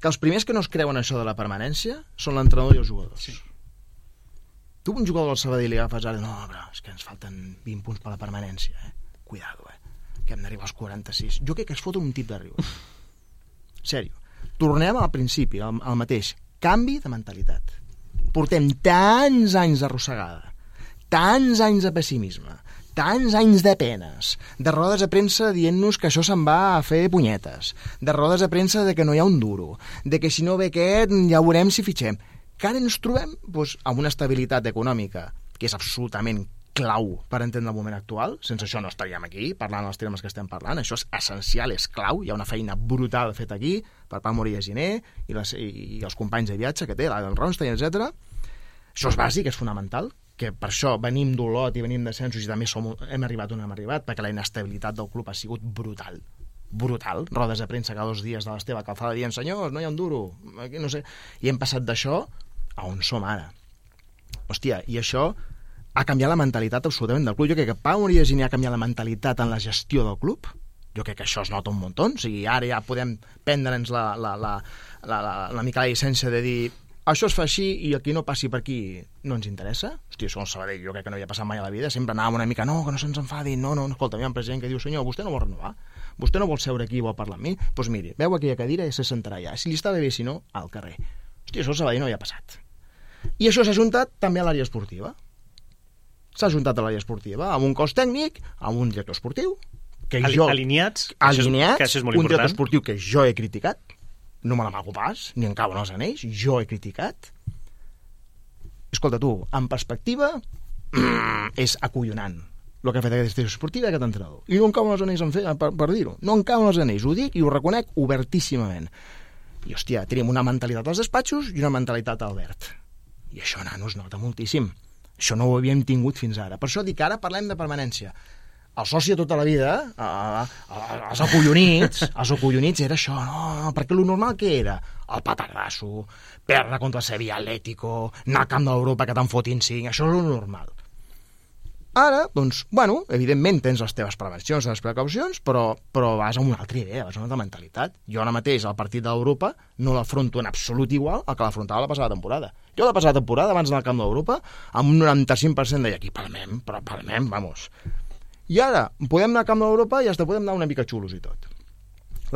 que els primers que no es creuen això de la permanència són l'entrenador i els jugadors. Sí. Tu un jugador del Sabadell li agafes ara, no, però és que ens falten vint punts per la permanència, eh? Cuidado, eh? Que hem d'arribar als quaranta-sis. Jo crec que es fot un tip de riure. Sèrio. Tornem al principi, al, al mateix. Canvi de mentalitat. Portem tants anys d'arrossegada, tants anys de pessimisme, tants anys de penes, de rodes de premsa dient-nos que això se'n va a fer punyetes, de rodes de premsa de que no hi ha un duro, de que si no ve aquest ja veurem si fitxem. Que ara ens trobem doncs, amb una estabilitat econòmica que és absolutament clau per entendre el moment actual. Sense això no estaríem aquí parlant els termes que estem parlant. Això és essencial, és clau. Hi ha una feina brutal feta aquí per Pau Moria Giner i, les, i els companys de viatge que té, l'Adel Ronstein, etcètera. Això és bàsic, és fonamental, que per això venim d'Olot i venim d'ascensos i també som, hem arribat on hem arribat, perquè la inestabilitat del club ha sigut brutal. Brutal. Rodes de premsa cada dos dies de l'Esteve Calzada dient, senyors, no hi ha un duro. Aquí no sé. I hem passat d'això a on som ara. Hòstia, i això ha canviat la mentalitat absolutament del club. Jo crec que Pau Moria Giner ha canviat la mentalitat en la gestió del club. Jo crec que això es nota un muntó. O sigui, ara ja podem prendre'ns la, la, la, la, la, la mica la llicència de dir això es fa així i el que no passi per aquí no ens interessa. Hòstia, això el Sabadell jo crec que no havia passat mai a la vida. Sempre anàvem una mica, no, que no se'ns enfadi, no, no, escolta, hi ha un president que diu, senyor, vostè no vol renovar? Vostè no vol seure aquí i vol parlar amb mi? Doncs pues miri, veu aquella cadira i se sentarà allà. Si li està bé, si no, al carrer. Hòstia, això el Sabadell no havia passat. I això s'ha juntat també a l'àrea esportiva. S'ha juntat a l'àrea esportiva amb un cos tècnic, amb un director esportiu que Ali, jo... Alineats, alineats, que això és molt un important. director esportiu que jo he criticat, no me l'amago pas, ni en cauen els anells, jo he criticat. Escolta, tu, en perspectiva, és acollonant el que ha fet aquesta direcció esportiva i aquest entrenador. I no en cauen els anells en fer, per, per dir-ho. No en cauen els anells, ho dic i ho reconec obertíssimament. I, hòstia, tenim una mentalitat als despatxos i una mentalitat a Albert. I això, nano, es nota moltíssim. Això no ho havíem tingut fins ara. Per això dic, ara parlem de permanència. El soci de tota la vida, eh, els acollonits, els acollonits era això, no, no, perquè lo normal què era? El petardasso, perdre contra el Sevilla Atlético, anar al camp d'Europa que te'n fotin cinc, això és lo normal. Ara, doncs, bueno, evidentment tens les teves prevencions, les precaucions, però, però vas a una altra idea, vas a una altra mentalitat. Jo ara mateix, el partit d'Europa, no l'afronto en absolut igual al que l'afrontava la passada temporada. Jo la passada temporada, abans d'anar al camp d'Europa, amb un noranta-cinc per cent deia, aquí palmem, però palmem, vamos. I ara, podem anar al camp d'Europa i hasta podem anar una mica xulos i tot.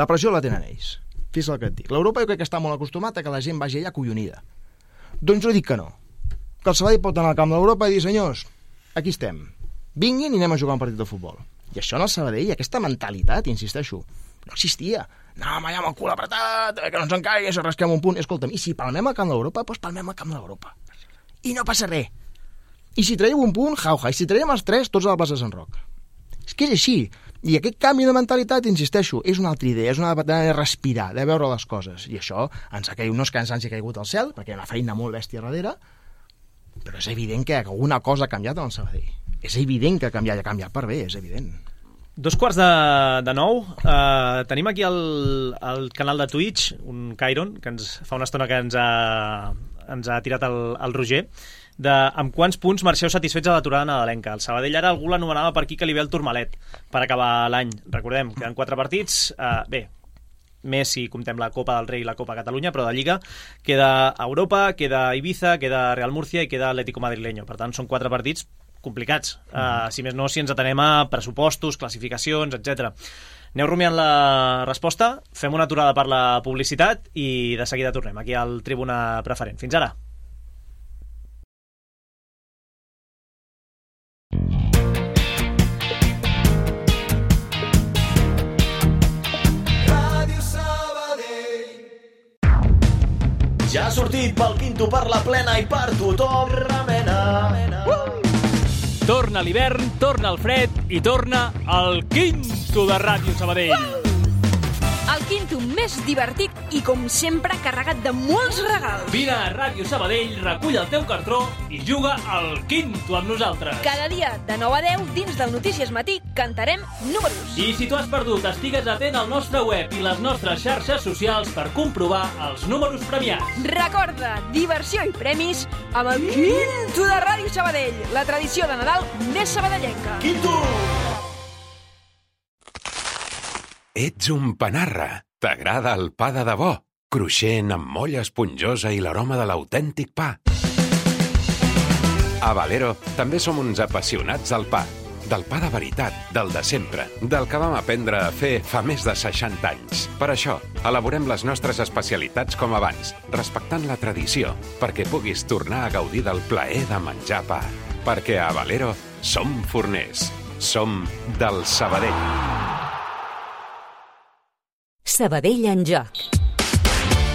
La pressió la tenen ells. Fixa't el que et dic. L'Europa jo crec que està molt acostumat a que la gent vagi allà acollonida. Doncs jo dic que no. Que el Sabadell pot anar al camp d'Europa i dir, senyors, aquí estem. Vinguin i anem a jugar un partit de futbol. I això en el Sabadell, aquesta mentalitat, insisteixo, no existia. Anàvem allà amb el cul apretat, que no ens encaigui, si rasquem un punt. Escolta'm, i si palmem al camp d'Europa, doncs palmem al camp d'Europa. I no passa res. I si traieu un punt, jauja. I si traiem els tres, tots a la plaça de Sant Roc. És que és així. I aquest canvi de mentalitat, insisteixo, és una altra idea, és una manera de respirar, de veure les coses. I això ens ha caigut, no és que ens hagi caigut al cel, perquè hi ha una feina molt bèstia darrere, però és evident que alguna cosa ha canviat en el Sabadell. És evident que ha canviat, ha canviat per bé, és evident. Dos quarts de, de nou. Uh, tenim aquí el, el canal de Twitch, un Cairon, que ens fa una estona que ens ha, ens ha tirat el, el Roger, de amb quants punts marxeu satisfets a l'aturada nadalenca. El Sabadell ara algú l'anomenava per aquí que li ve el Tourmalet per acabar l'any. Recordem, queden quatre partits. Uh, bé, més si comptem la Copa del Rei i la Copa Catalunya, però de Lliga queda Europa, queda Ibiza, queda Real Murcia i queda Atlético Madrileño. Per tant, són quatre partits complicats. Uh, si més no, si ens atenem a pressupostos, classificacions, etcètera. Aneu rumiant la resposta, fem una aturada per la publicitat i de seguida tornem aquí al Tribuna Preferent. Fins ara. Ja ha sortit pel Quinto per la plena i per tothom remena. Uh! Torna l'hivern, torna el fred i torna el Quinto de Ràdio Sabadell. Uh! El Quinto més divertit i, com sempre, carregat de molts regals. Vine a Ràdio Sabadell, recull el teu cartró i juga al Quinto amb nosaltres. Cada dia, de nou a deu, dins del Notícies Matí, cantarem números. I si tu has perdut, estigues atent al nostre web i les nostres xarxes socials per comprovar els números premiats. Recorda, diversió i premis amb el Quinto de Ràdio Sabadell, la tradició de Nadal més sabadellenca. Quinto! Ets un panarra. T'agrada el pa de debò, cruixent amb molla esponjosa i l'aroma de l'autèntic pa. A Valero també som uns apassionats del pa. Del pa de veritat, del de sempre, del que vam aprendre a fer fa més de seixanta anys. Per això, elaborem les nostres especialitats com abans, respectant la tradició, perquè puguis tornar a gaudir del plaer de menjar pa. Perquè a Valero som forners. Som del Sabadell. Sabadell en joc.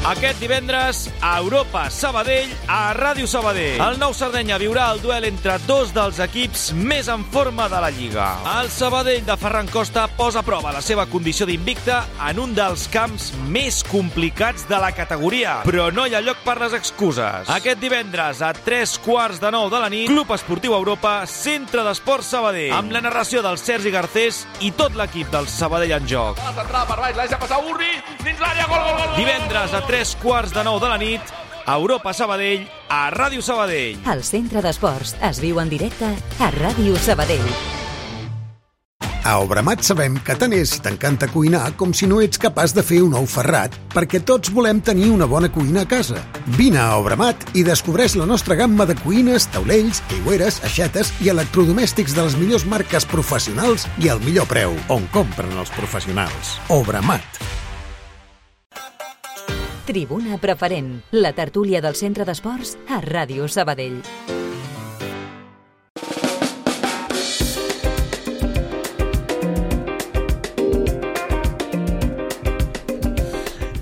Aquest divendres, a Europa Sabadell, a Ràdio Sabadell. El Nou Sardenya viurà el duel entre dos dels equips més en forma de la Lliga. El Sabadell de Ferran Costa posa a prova la seva condició d'invicta en un dels camps més complicats de la categoria. Però no hi ha lloc per les excuses. Aquest divendres, a tres quarts de nou de la nit, Club Esportiu Europa, Centre d'Esports Sabadell, amb la narració del Sergi Garcés i tot l'equip del Sabadell en joc. Va centrar per baix, l'ha deixat passar Urri, dins l'àrea, gol, gol, gol! Divendres, a tres quarts de nou de la nit, Europa Sabadell, a Ràdio Sabadell. El Centre d'Esports es viu en directe a Ràdio Sabadell. A Obramat sabem que tant és si t'encanta cuinar com si no ets capaç de fer un ou ferrat, perquè tots volem tenir una bona cuina a casa. Vine a Obramat i descobreix la nostra gamma de cuines, taulells, aigüeres, aixetes i electrodomèstics de les millors marques professionals i al millor preu, on compren els professionals. Obramat. Tribuna Preferent, la tertúlia del Centre d'Esports a Ràdio Sabadell.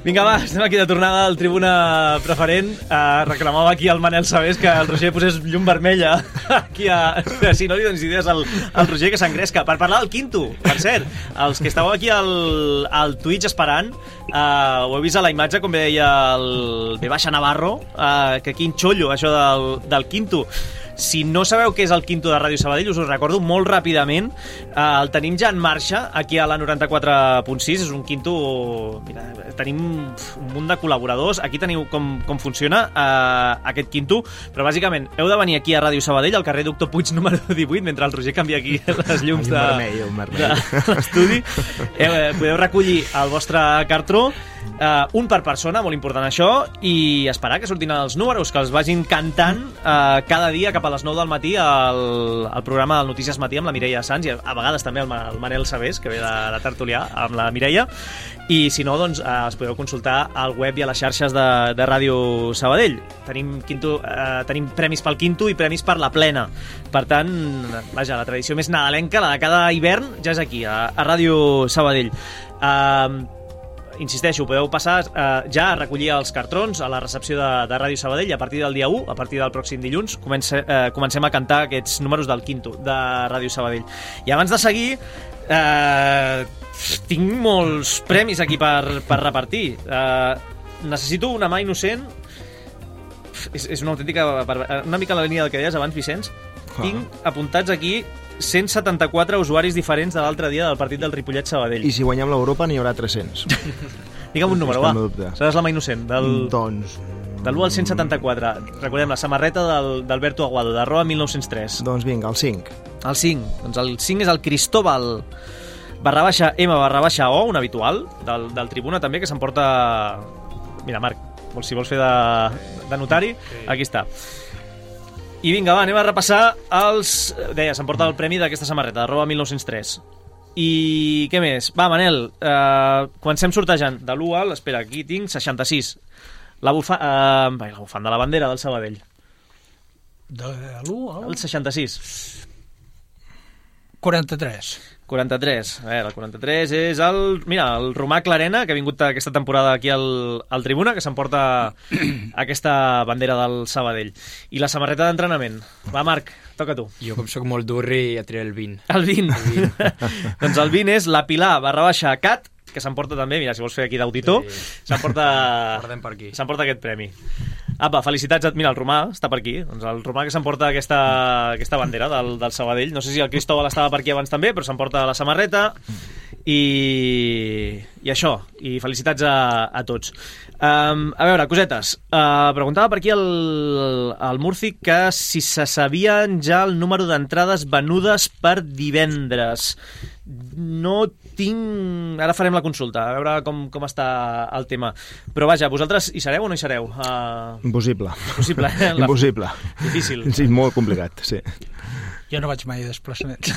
Vinga, va, estem aquí de tornada al Tribuna Preferent. Uh, reclamava aquí el Manel Sabés que el Roger posés llum vermella aquí a... Si no li dones idees al, al Roger que s'engresca. Per parlar del Quinto, per cert, els que estàveu aquí al, al Twitch esperant, uh, ho he vist a la imatge, com deia el B. Navarro, uh, que quin xollo, això del, del Quinto. Si no sabeu què és el quinto de Ràdio Sabadell, us ho recordo molt ràpidament. Eh, el tenim ja en marxa aquí a la noranta-quatre punt sis. És un quinto... Mira, tenim un munt de col·laboradors. Aquí teniu com, com funciona eh, aquest quinto, però bàsicament heu de venir aquí a Ràdio Sabadell, al carrer Doctor Puig número divuit, mentre el Roger canvia aquí les llums de, vermell, vermell. de l'estudi. Eh, podeu recollir el vostre cartró, Uh, un per persona, molt important això, i esperar que surtin els números, que els vagin cantant uh, cada dia cap a les nou del matí al, al programa del Notícies Matí amb la Mireia Sans, i a vegades també el, el Manel Sabés, que ve de, de tertulià amb la Mireia, i si no, doncs uh, els podeu consultar al web i a les xarxes de, de Ràdio Sabadell. Tenim, quinto, uh, tenim premis pel quinto i premis per la plena. Per tant, vaja, la tradició més nadalenca, la de cada hivern, ja és aquí, a, a Ràdio Sabadell. Uh, Insisteixo, podeu passar eh, ja a recollir els cartrons a la recepció de, de Ràdio Sabadell a partir del dia u, a partir del pròxim dilluns comence, eh, comencem a cantar aquests números del quinto de Ràdio Sabadell. I abans de seguir eh, tinc molts premis aquí per, per repartir. eh, necessito una mà innocent. És, és una autèntica, una mica la línia del que deies abans, Vicenç. Tinc apuntats aquí cent setanta-quatre usuaris diferents de l'altre dia del partit del Ripollet-Sabadell. I si guanyem l'Europa n'hi haurà tres-cents. Digue'm un número, va. Seràs la mà innocent. Del... Doncs... De l'u al cent setanta-quatre. Recordem, la samarreta d'Alberto Aguado, d'arroba mil nou-cents tres. Doncs vinga, el cinc. El cinc. Doncs el cinc és el Cristóbal barra baixa M barra baixa O, un habitual, del, del Tribuna també, que s'emporta... Mira, Marc, si vols fer de, de notari, aquí està. I vinga, va, anem a repassar els... Deia, s'emporta el premi d'aquesta samarreta, d'arroba mil nou-cents tres. I què més? Va, Manel, eh, comencem sortejant. De l'u al... Espera, aquí tinc seixanta-sis. La, bufa, eh, la bufanda de la bandera del Sabadell. De l'u al... El seixanta-sis. quaranta-tres. quaranta-tres. A veure, el quaranta-tres és el... Mira, el Romà Clarena, que ha vingut aquesta temporada aquí al, al Tribuna, que s'emporta aquesta bandera del Sabadell. I la samarreta d'entrenament. Va, Marc, toca tu. Jo, com sóc molt durri, ja tiré el vint. El vint? El vint. Doncs el vint és la Pilar barra baixa Cat, que s'emporta també, mira, si vols fer aquí d'auditor, sí. s'emporta s'emporta aquest premi. Apa, felicitats. Mira, el Romà està per aquí. Doncs el Romà que s'emporta aquesta, aquesta bandera del, del Sabadell. No sé si el Cristóbal estava per aquí abans també, però s'emporta la samarreta. I, i això. I felicitats a, a tots. Um, a veure, cosetes. Uh, preguntava per aquí el, el Murci que si se sabien ja el número d'entrades venudes per divendres. No tinc... Ara farem la consulta, a veure com, com està el tema. Però vaja, vosaltres hi sereu o no hi sereu? Uh... Impossible. Impossible, eh? La... Impossible. Difícil. Sí, molt complicat, sí. Jo no vaig mai a desplaçaments.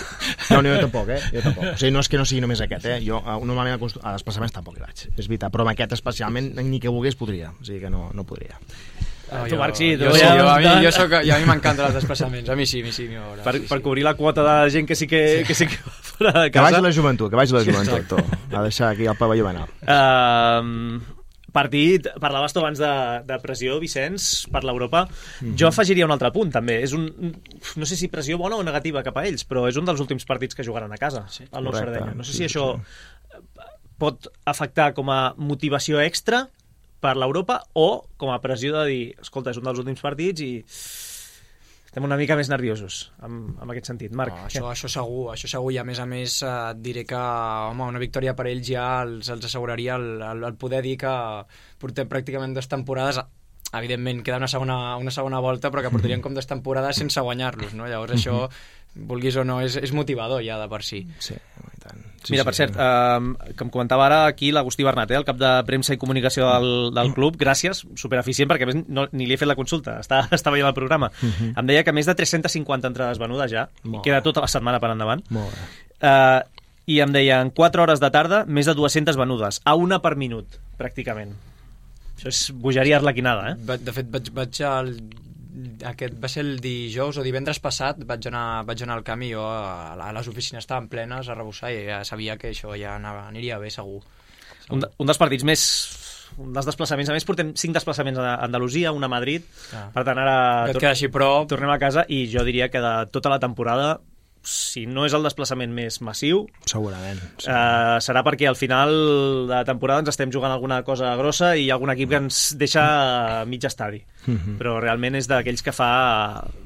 No, no, jo tampoc, eh? Jo tampoc. O sigui, no és que no sigui només aquest, eh? Jo normalment a desplaçaments tampoc hi vaig, és veritat. Però amb aquest especialment ni que volgués podria. O sigui que no, no podria. No, tu, Marc, sí. Jo, jo, sí, jo, a mi, jo, soc, jo a mi m'encanten els desplaçaments. A mi sí, a mi sí. Mi hora, per, sí, per sí. cobrir la quota de gent que sí que, sí. que, sí que va fora de casa. Que vagi la joventut, que vagi la joventut. Sí, a deixar aquí el pavelló banal. Uh, partit, parlaves tu abans de, de pressió, Vicenç, per l'Europa. Mm-hmm. Jo afegiria un altre punt, també. És un, no sé si pressió bona o negativa cap a ells, però és un dels últims partits que jugaran a casa, sí. al Nou Sardenya. No sé si sí, això sí. pot afectar com a motivació extra per l'Europa o com a pressió de dir, escolta, és un dels últims partits i estem una mica més nerviosos amb, amb aquest sentit. Marc, no, això, això segur, això segur, i a més a més eh, et diré que home, una victòria per ells ja els, els asseguraria el, el, el poder dir que portem pràcticament dues temporades, evidentment queda una segona, una segona volta, però que portarien com dues temporades sense guanyar-los, no? Llavors això, vulguis o no, és, és motivador ja de per si. Sí, i tant. Sí, Mira, sí, per cert, sí. eh, com comentava ara aquí l'Agustí Bernat, eh, el cap de premsa i comunicació del, del club, gràcies, supereficient, perquè a més no, ni li he fet la consulta, està, està veient el programa. Uh-huh. Em deia que més de tres-centes cinquanta entrades venudes ja, i queda tota la setmana per endavant. Molt bé. Eh, I em deia, en quatre hores de tarda, més de dues-centes venudes, a una per minut, pràcticament. Això és bogeria arlequinada, eh? De fet, vaig, vaig al... Aquest va ser el dijous o divendres passat, vaig anar, vaig anar al camp i jo a, a les oficines estaven plenes a rebussar i ja sabia que això ja anava, aniria bé segur. segur. Un, de, un dels partits més... Un dels desplaçaments, a més portem cinc desplaçaments a Andalusia, un a Madrid, ah. per tant ara tor- així, però... tornem a casa i jo diria que de tota la temporada si no és el desplaçament més massiu, segurament, sí. eh, serà perquè al final de temporada ens estem jugant alguna cosa grossa i hi ha algun equip que ens deixa mig estadi. Mm-hmm. Però realment és d'aquells que fa,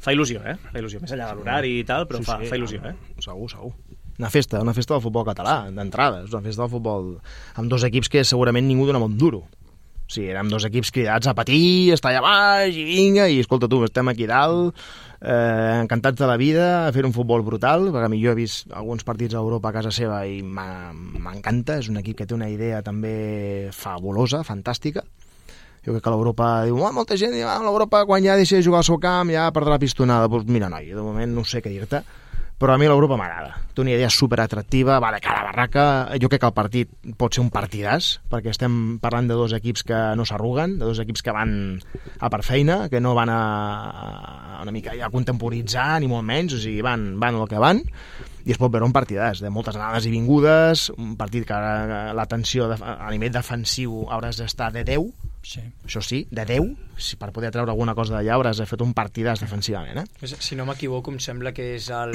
fa il·lusió, eh? Fa il·lusió, més enllà de l'horari i tal, però sí, fa, sí, fa il·lusió, eh? Segur, segur. Una festa, una festa del futbol català, d'entrada. És una festa del futbol amb dos equips que segurament ningú dona molt duro. O sigui, érem dos equips cridats a patir, estar allà baix i vinga, i escolta tu, estem aquí dalt, eh, encantats de la vida, a fer un futbol brutal, perquè jo he vist alguns partits a Europa a casa seva i m'encanta, és un equip que té una idea també fabulosa, fantàstica. Jo crec que l'Europa diu, oh, molta gent diu, ah, l'Europa quan ja deixa de jugar al seu camp ja perdrà la pistonada. Pues mira, noi, de moment no sé què dir-te, però a mi l'Europa m'agrada. Té una idea superatractiva, va de cara a barraca. Jo crec que el partit pot ser un partidàs, perquè estem parlant de dos equips que no s'arruguen, de dos equips que van a per feina, que no van a, a una mica ja a contemporitzar, ni molt menys, o sigui, van, van el que van, i es pot veure un partidàs de moltes anades i vingudes, un partit que la tensió a nivell defensiu hauràs d'estar de deu, sí. Això sí, de deu, si per poder treure alguna cosa d'allà hauràs de fer un partidàs defensivament, eh? Si no m'equivoco, em sembla que és el,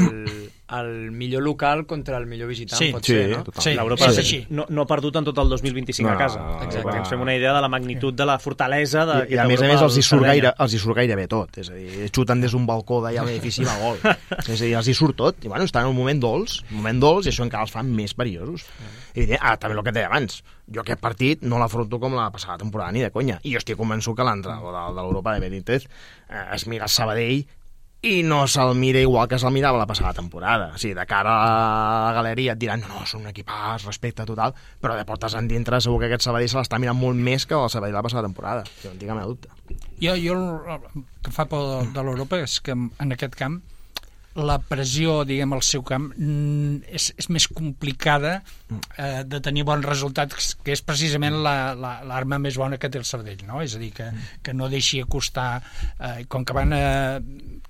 el millor local contra el millor visitant, sí, pot sí, ser, no? Sí, l'Europa sí, sí. no, no ha perdut en tot el dos mil vint-i-cinc no, a casa. Exacte. Ens fem una idea de la magnitud de la fortalesa de, I, i a més a més els hi surt gaire, els hi surt gaire bé tot, és a dir, xuten des d'un balcó d'allà a l'edifici va gol, és a dir, els hi surt tot, i bueno, estan en un moment dolç, un moment dolç, i això encara els fan més perillosos. I ah, també el que et deia abans, jo aquest partit no l'afronto com la passada temporada ni de conya, i jo estic convençut que l'entrenador de, de l'Europa de Benítez eh, es mira el Sabadell i no se'l mira igual que se'l mirava la passada temporada. O sigui, de cara a la galeria et diran, no, no, són un equipàs, respecte total, però de portes en dintre segur que aquest Sabadell se l'està mirant molt més que el Sabadell la passada temporada, que no en tinc cap dubte. Jo, jo el que fa por de, de l'Europa és que en aquest camp la pressió, diguem, al seu camp és, és més complicada eh, de tenir bons resultats, que és precisament l'arma la, la, més bona que té el Sabadell, no? És a dir, que, que no deixi acostar, eh, com que van eh,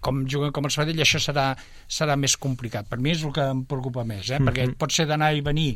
com juguen com el Sabadell, això serà, serà més complicat. Per mi és el que em preocupa més, eh? Perquè pot ser d'anar i venir,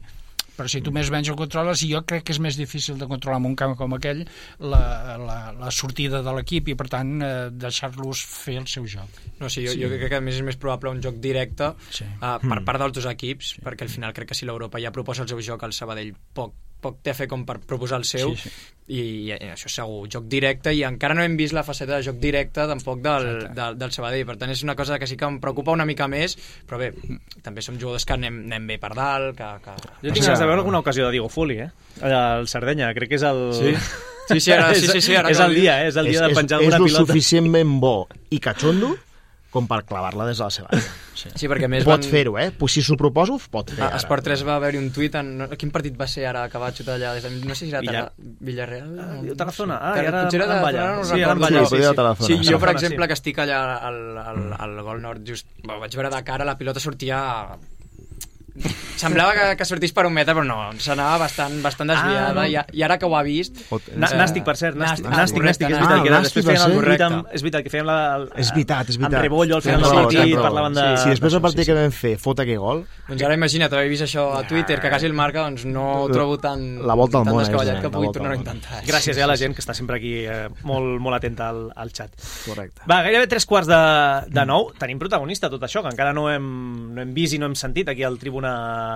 però si tu més o menys el controles, i jo crec que és més difícil de controlar en un camp com aquell la, la, la sortida de l'equip i per tant eh, deixar-los fer el seu joc. No, sí, jo, sí. jo crec que a més és més probable un joc directe sí. uh, per part dels dos equips, sí. perquè al final crec que si l'Europa ja proposa el seu joc, el Sabadell poc, poc té a fer com per proposar el seu, sí, sí. I, i això segur, joc directe, i encara no hem vist la faceta de joc directe tampoc del, del, del Sabadell, per tant és una cosa que sí que em preocupa una mica més, però bé, també som jugadors que anem, anem bé per dalt, que... que... Jo tinc ganes de veure alguna ocasió de Diego Fuli, eh? El Sardenya, crec que és el... Sí, sí, sí, ara, sí, sí, sí ara és el dia, eh? És el dia és, de penjar alguna pilota. És el suficientment bo i cachondo com per clavar-la des de la seva àrea. Sí. Sí, perquè més pot van... fer-ho, eh? Pues si s'ho proposo, pot fer. A Esport tres va haver-hi un tuit en... Quin partit va ser ara que va xutar allà? No sé si era Villar... Villarreal... Ah, Tarazona. Ah, i ara potser era Ballar. No sí, era Ballar. Sí, sí, sí, sí, jo, per exemple, sí. que estic allà al, al, al Gol Nord, just vaig veure de cara, la pilota sortia... Semblava que, que sortís per un metre, però no, s'anava bastant, bastant desviada, ah, no. i, i ara que ho ha vist... Nàstic, per cert, nàstic, nàstic, nàstic, és veritat, que després feien el correcte. És veritat, que fèiem la... És veritat, és veritat. Amb Rebollo al final del partit, parlaven de... Si després del partit que vam fer fot aquell gol... Doncs ara imagina't, haver vist això a Twitter, que quasi el marca, doncs no ho trobo tan... La volta al món, descabellat que pugui tornar a intentar. Gràcies a la gent que està sempre aquí molt molt atenta al xat. Correcte. Va, gairebé tres quarts de nou. Tenim protagonista tot això, que encara no hem vist i no hem sentit aquí al Tribuna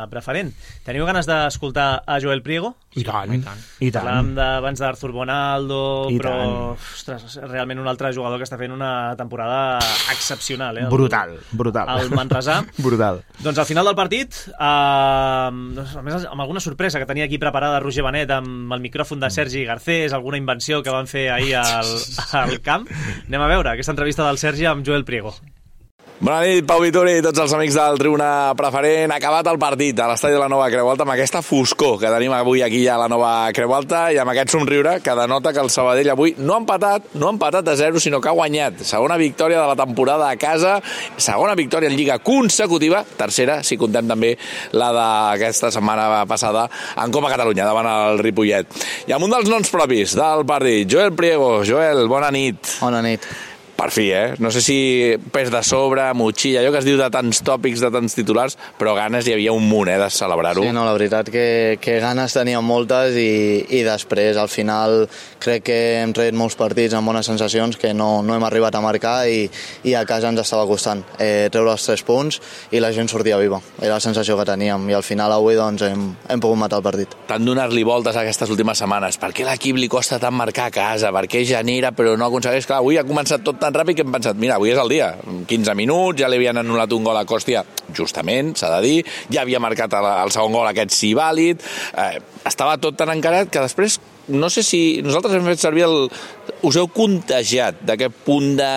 Preferent. Teniu ganes d'escoltar a Joel Priego? I tant, i tant. I tant. Parlàvem abans d'Arthur Bonaldo, I però ostres, realment un altre jugador que està fent una temporada excepcional. Eh? El, brutal, brutal. El Manresà. Brutal. Doncs al final del partit, eh, a més, amb alguna sorpresa que tenia aquí preparada Roger Benet amb el micròfon de Sergi Garcés, alguna invenció que van fer ahir al, al camp. Anem a veure aquesta entrevista del Sergi amb Joel Priego. Bona nit, Pau Vituri i tots els amics del Tribuna Preferent. Ha acabat el partit a l'estadi de la Nova Creu Alta amb aquesta foscor que tenim avui aquí a la Nova Creu Alta i amb aquest somriure que denota que el Sabadell avui no ha empatat, no ha empatat a zero, sinó que ha guanyat. Segona victòria de la temporada a casa, segona victòria en Lliga consecutiva, tercera, si contem també la d'aquesta setmana passada en Copa Catalunya, davant el Ripollet. I amb un dels noms propis del partit, Joel Priego. Joel, bona nit. Bona nit. Per fi, eh? No sé si pes de sobre, motxilla, allò que es diu de tants tòpics, de tants titulars, però ganes hi havia un munt, eh, de celebrar-ho. Sí, no, la veritat que, que ganes teníem moltes i, i després, al final, crec que hem tret molts partits amb bones sensacions que no, no hem arribat a marcar i, i a casa ens estava costant eh, treure els tres punts i la gent sortia viva. Era la sensació que teníem i al final avui doncs, hem, hem pogut matar el partit. Tant donar-li voltes aquestes últimes setmanes. Per què l'equip li costa tant marcar a casa? Per què genera però no aconsegueix? Clar, avui ha començat tot tan ràpid que hem pensat, mira, avui és el dia, quinze minuts, ja li havien anul·lat un gol a Còstia, justament, s'ha de dir, ja havia marcat el, el segon gol aquest sí vàlid, eh, estava tot tan encarat que després, no sé si nosaltres hem fet servir el... us heu contagiat d'aquest punt de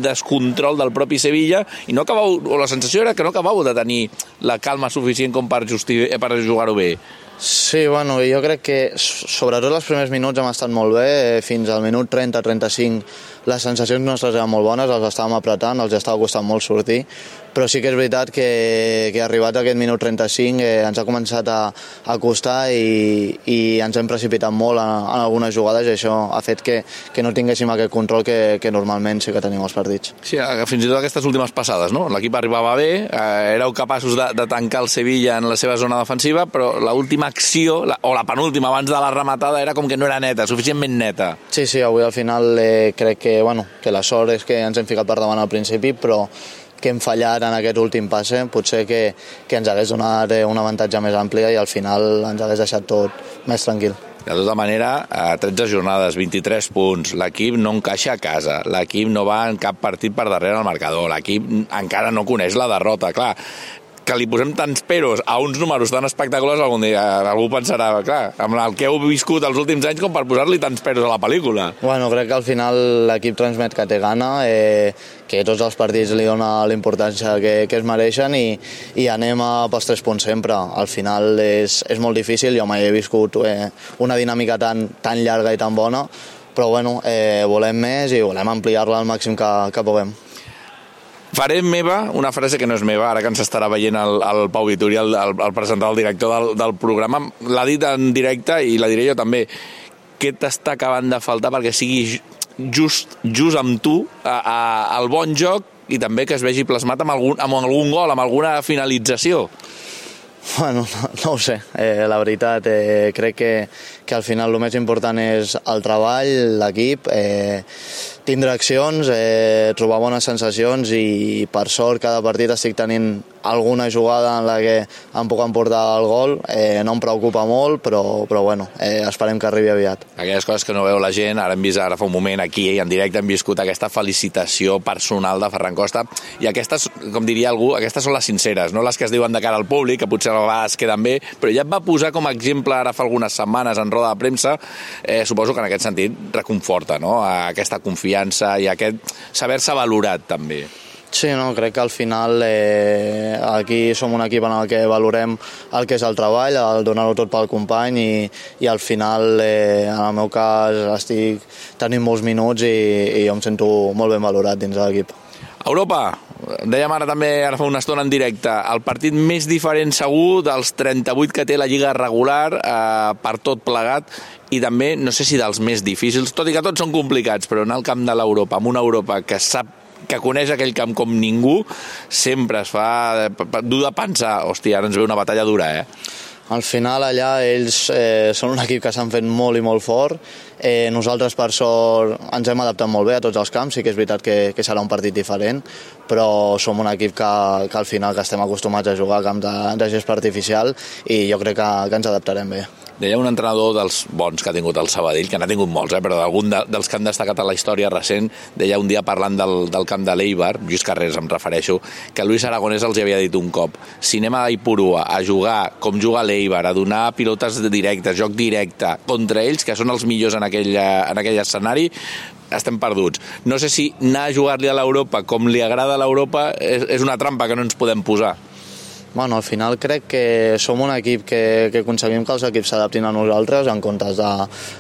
descontrol del propi Sevilla i no acabau, o la sensació era que no acabau de tenir la calma suficient com per, justi... per jugar-ho bé. Sí, bueno, jo crec que sobretot els primers minuts hem estat molt bé, fins al minut trenta trenta-cinc les sensacions nostres eren molt bones, els estàvem apretant, els estava costant molt sortir, però sí que és veritat que, que arribat a aquest minut trenta-cinc eh, ens ha començat a, a costar i, i ens hem precipitat molt en, en algunes jugades i això ha fet que, que no tinguéssim aquest control que, que normalment sí que tenim als partits. Sí, fins i tot aquestes últimes passades, no? L'equip arribava bé, eh, éreu capaços de, de tancar el Sevilla en la seva zona defensiva, però l'última acció, la, o la penúltima abans de la rematada, era com que no era neta, suficientment neta. Sí, sí, avui al final eh, crec que, bueno, que la sort és que ens hem ficat per davant al principi, però que hem fallat en aquest últim passe, potser que, que ens hagués donat un avantatge més ampli i al final ens hagués deixat tot més tranquil. De tota manera, a tretze jornades, vint-i-tres punts, l'equip no encaixa a casa, l'equip no va en cap partit per darrere al marcador, l'equip encara no coneix la derrota, clar, que li posem tants peros a uns números tan espectaculars, algun dia algú pensarà, clar, amb el que heu viscut els últims anys com per posar-li tants peros a la pel·lícula. Bueno, crec que al final l'equip transmet que té gana, eh, que tots els partits li dona l'importància que, que es mereixen i, i anem a pels tres punts sempre. Al final és, és molt difícil, jo mai he viscut eh, una dinàmica tan, tan llarga i tan bona, però bueno, eh, volem més i volem ampliar-la al màxim que, que puguem. Faré meva una frase que no és meva, ara que ens estarà veient el, el Pau Vitori, el, el, el presentador, el director del, del programa. L'ha dit en directe i la diré jo també. Què t'està acabant de faltar perquè sigui just, just amb tu a, a, al bon joc i també que es vegi plasmat amb algun, amb algun gol, amb alguna finalització? Bueno, no, no ho sé, eh, la veritat, eh, crec que, que al final el més important és el treball, l'equip, eh, tindre accions, eh, trobar bones sensacions i per sort cada partit estic tenint alguna jugada en la que em puc emportar el gol, eh, no em preocupa molt, però, però bueno, eh, esperem que arribi aviat. Aquelles coses que no veu la gent, ara hem vist ara fa un moment aquí i en directe hem viscut aquesta felicitació personal de Ferran Costa i aquestes, com diria algú, aquestes són les sinceres, no les que es diuen de cara al públic, que potser a vegades queden bé, però ja et va posar com a exemple ara fa algunes setmanes en roda de premsa, eh, suposo que en aquest sentit reconforta, no?, aquesta confiança i aquest saber-se valorat també. Sí, no, crec que al final eh, aquí som un equip en el que valorem el que és el treball, el donar-ho tot pel company i, i al final, eh, en el meu cas, estic tenint molts minuts i, i jo em sento molt ben valorat dins de l'equip. Europa, dèiem ara també, ara fa una estona en directe, el partit més diferent segur dels trenta-vuit que té la Lliga regular eh, per tot plegat i també, no sé si dels més difícils, tot i que tots són complicats, però en el camp de l'Europa, amb una Europa que sap que coneix aquell camp com ningú, sempre es fa dur de pensar, hòstia, ara ens ve una batalla dura, eh? Al final allà ells eh, són un equip que s'han fet molt i molt fort. Eh, nosaltres per sort ens hem adaptat molt bé a tots els camps, sí que és veritat que, que serà un partit diferent, però som un equip que, que al final que estem acostumats a jugar a camp de, de gespa artificial i jo crec que, que ens adaptarem bé. Deia un entrenador dels bons que ha tingut el Sabadell, que n'ha tingut molts, eh, però d'algun de, dels que han destacat a la història recent, deia un dia parlant del, del camp de l'Eibar, Lluís Carreras em refereixo, que Luis Aragonès els havia dit un cop: si anem a Ipurua a jugar com juga l'Eibar, a donar pilotes directes, joc directe, contra ells, que són els millors en aquell, en aquell escenari, estem perduts. No sé si anar a jugar-li a l'Europa com li agrada a l'Europa és, és una trampa que no ens podem posar. Bueno, al final crec que som un equip que, que aconseguim que els equips s'adaptin a nosaltres en comptes de,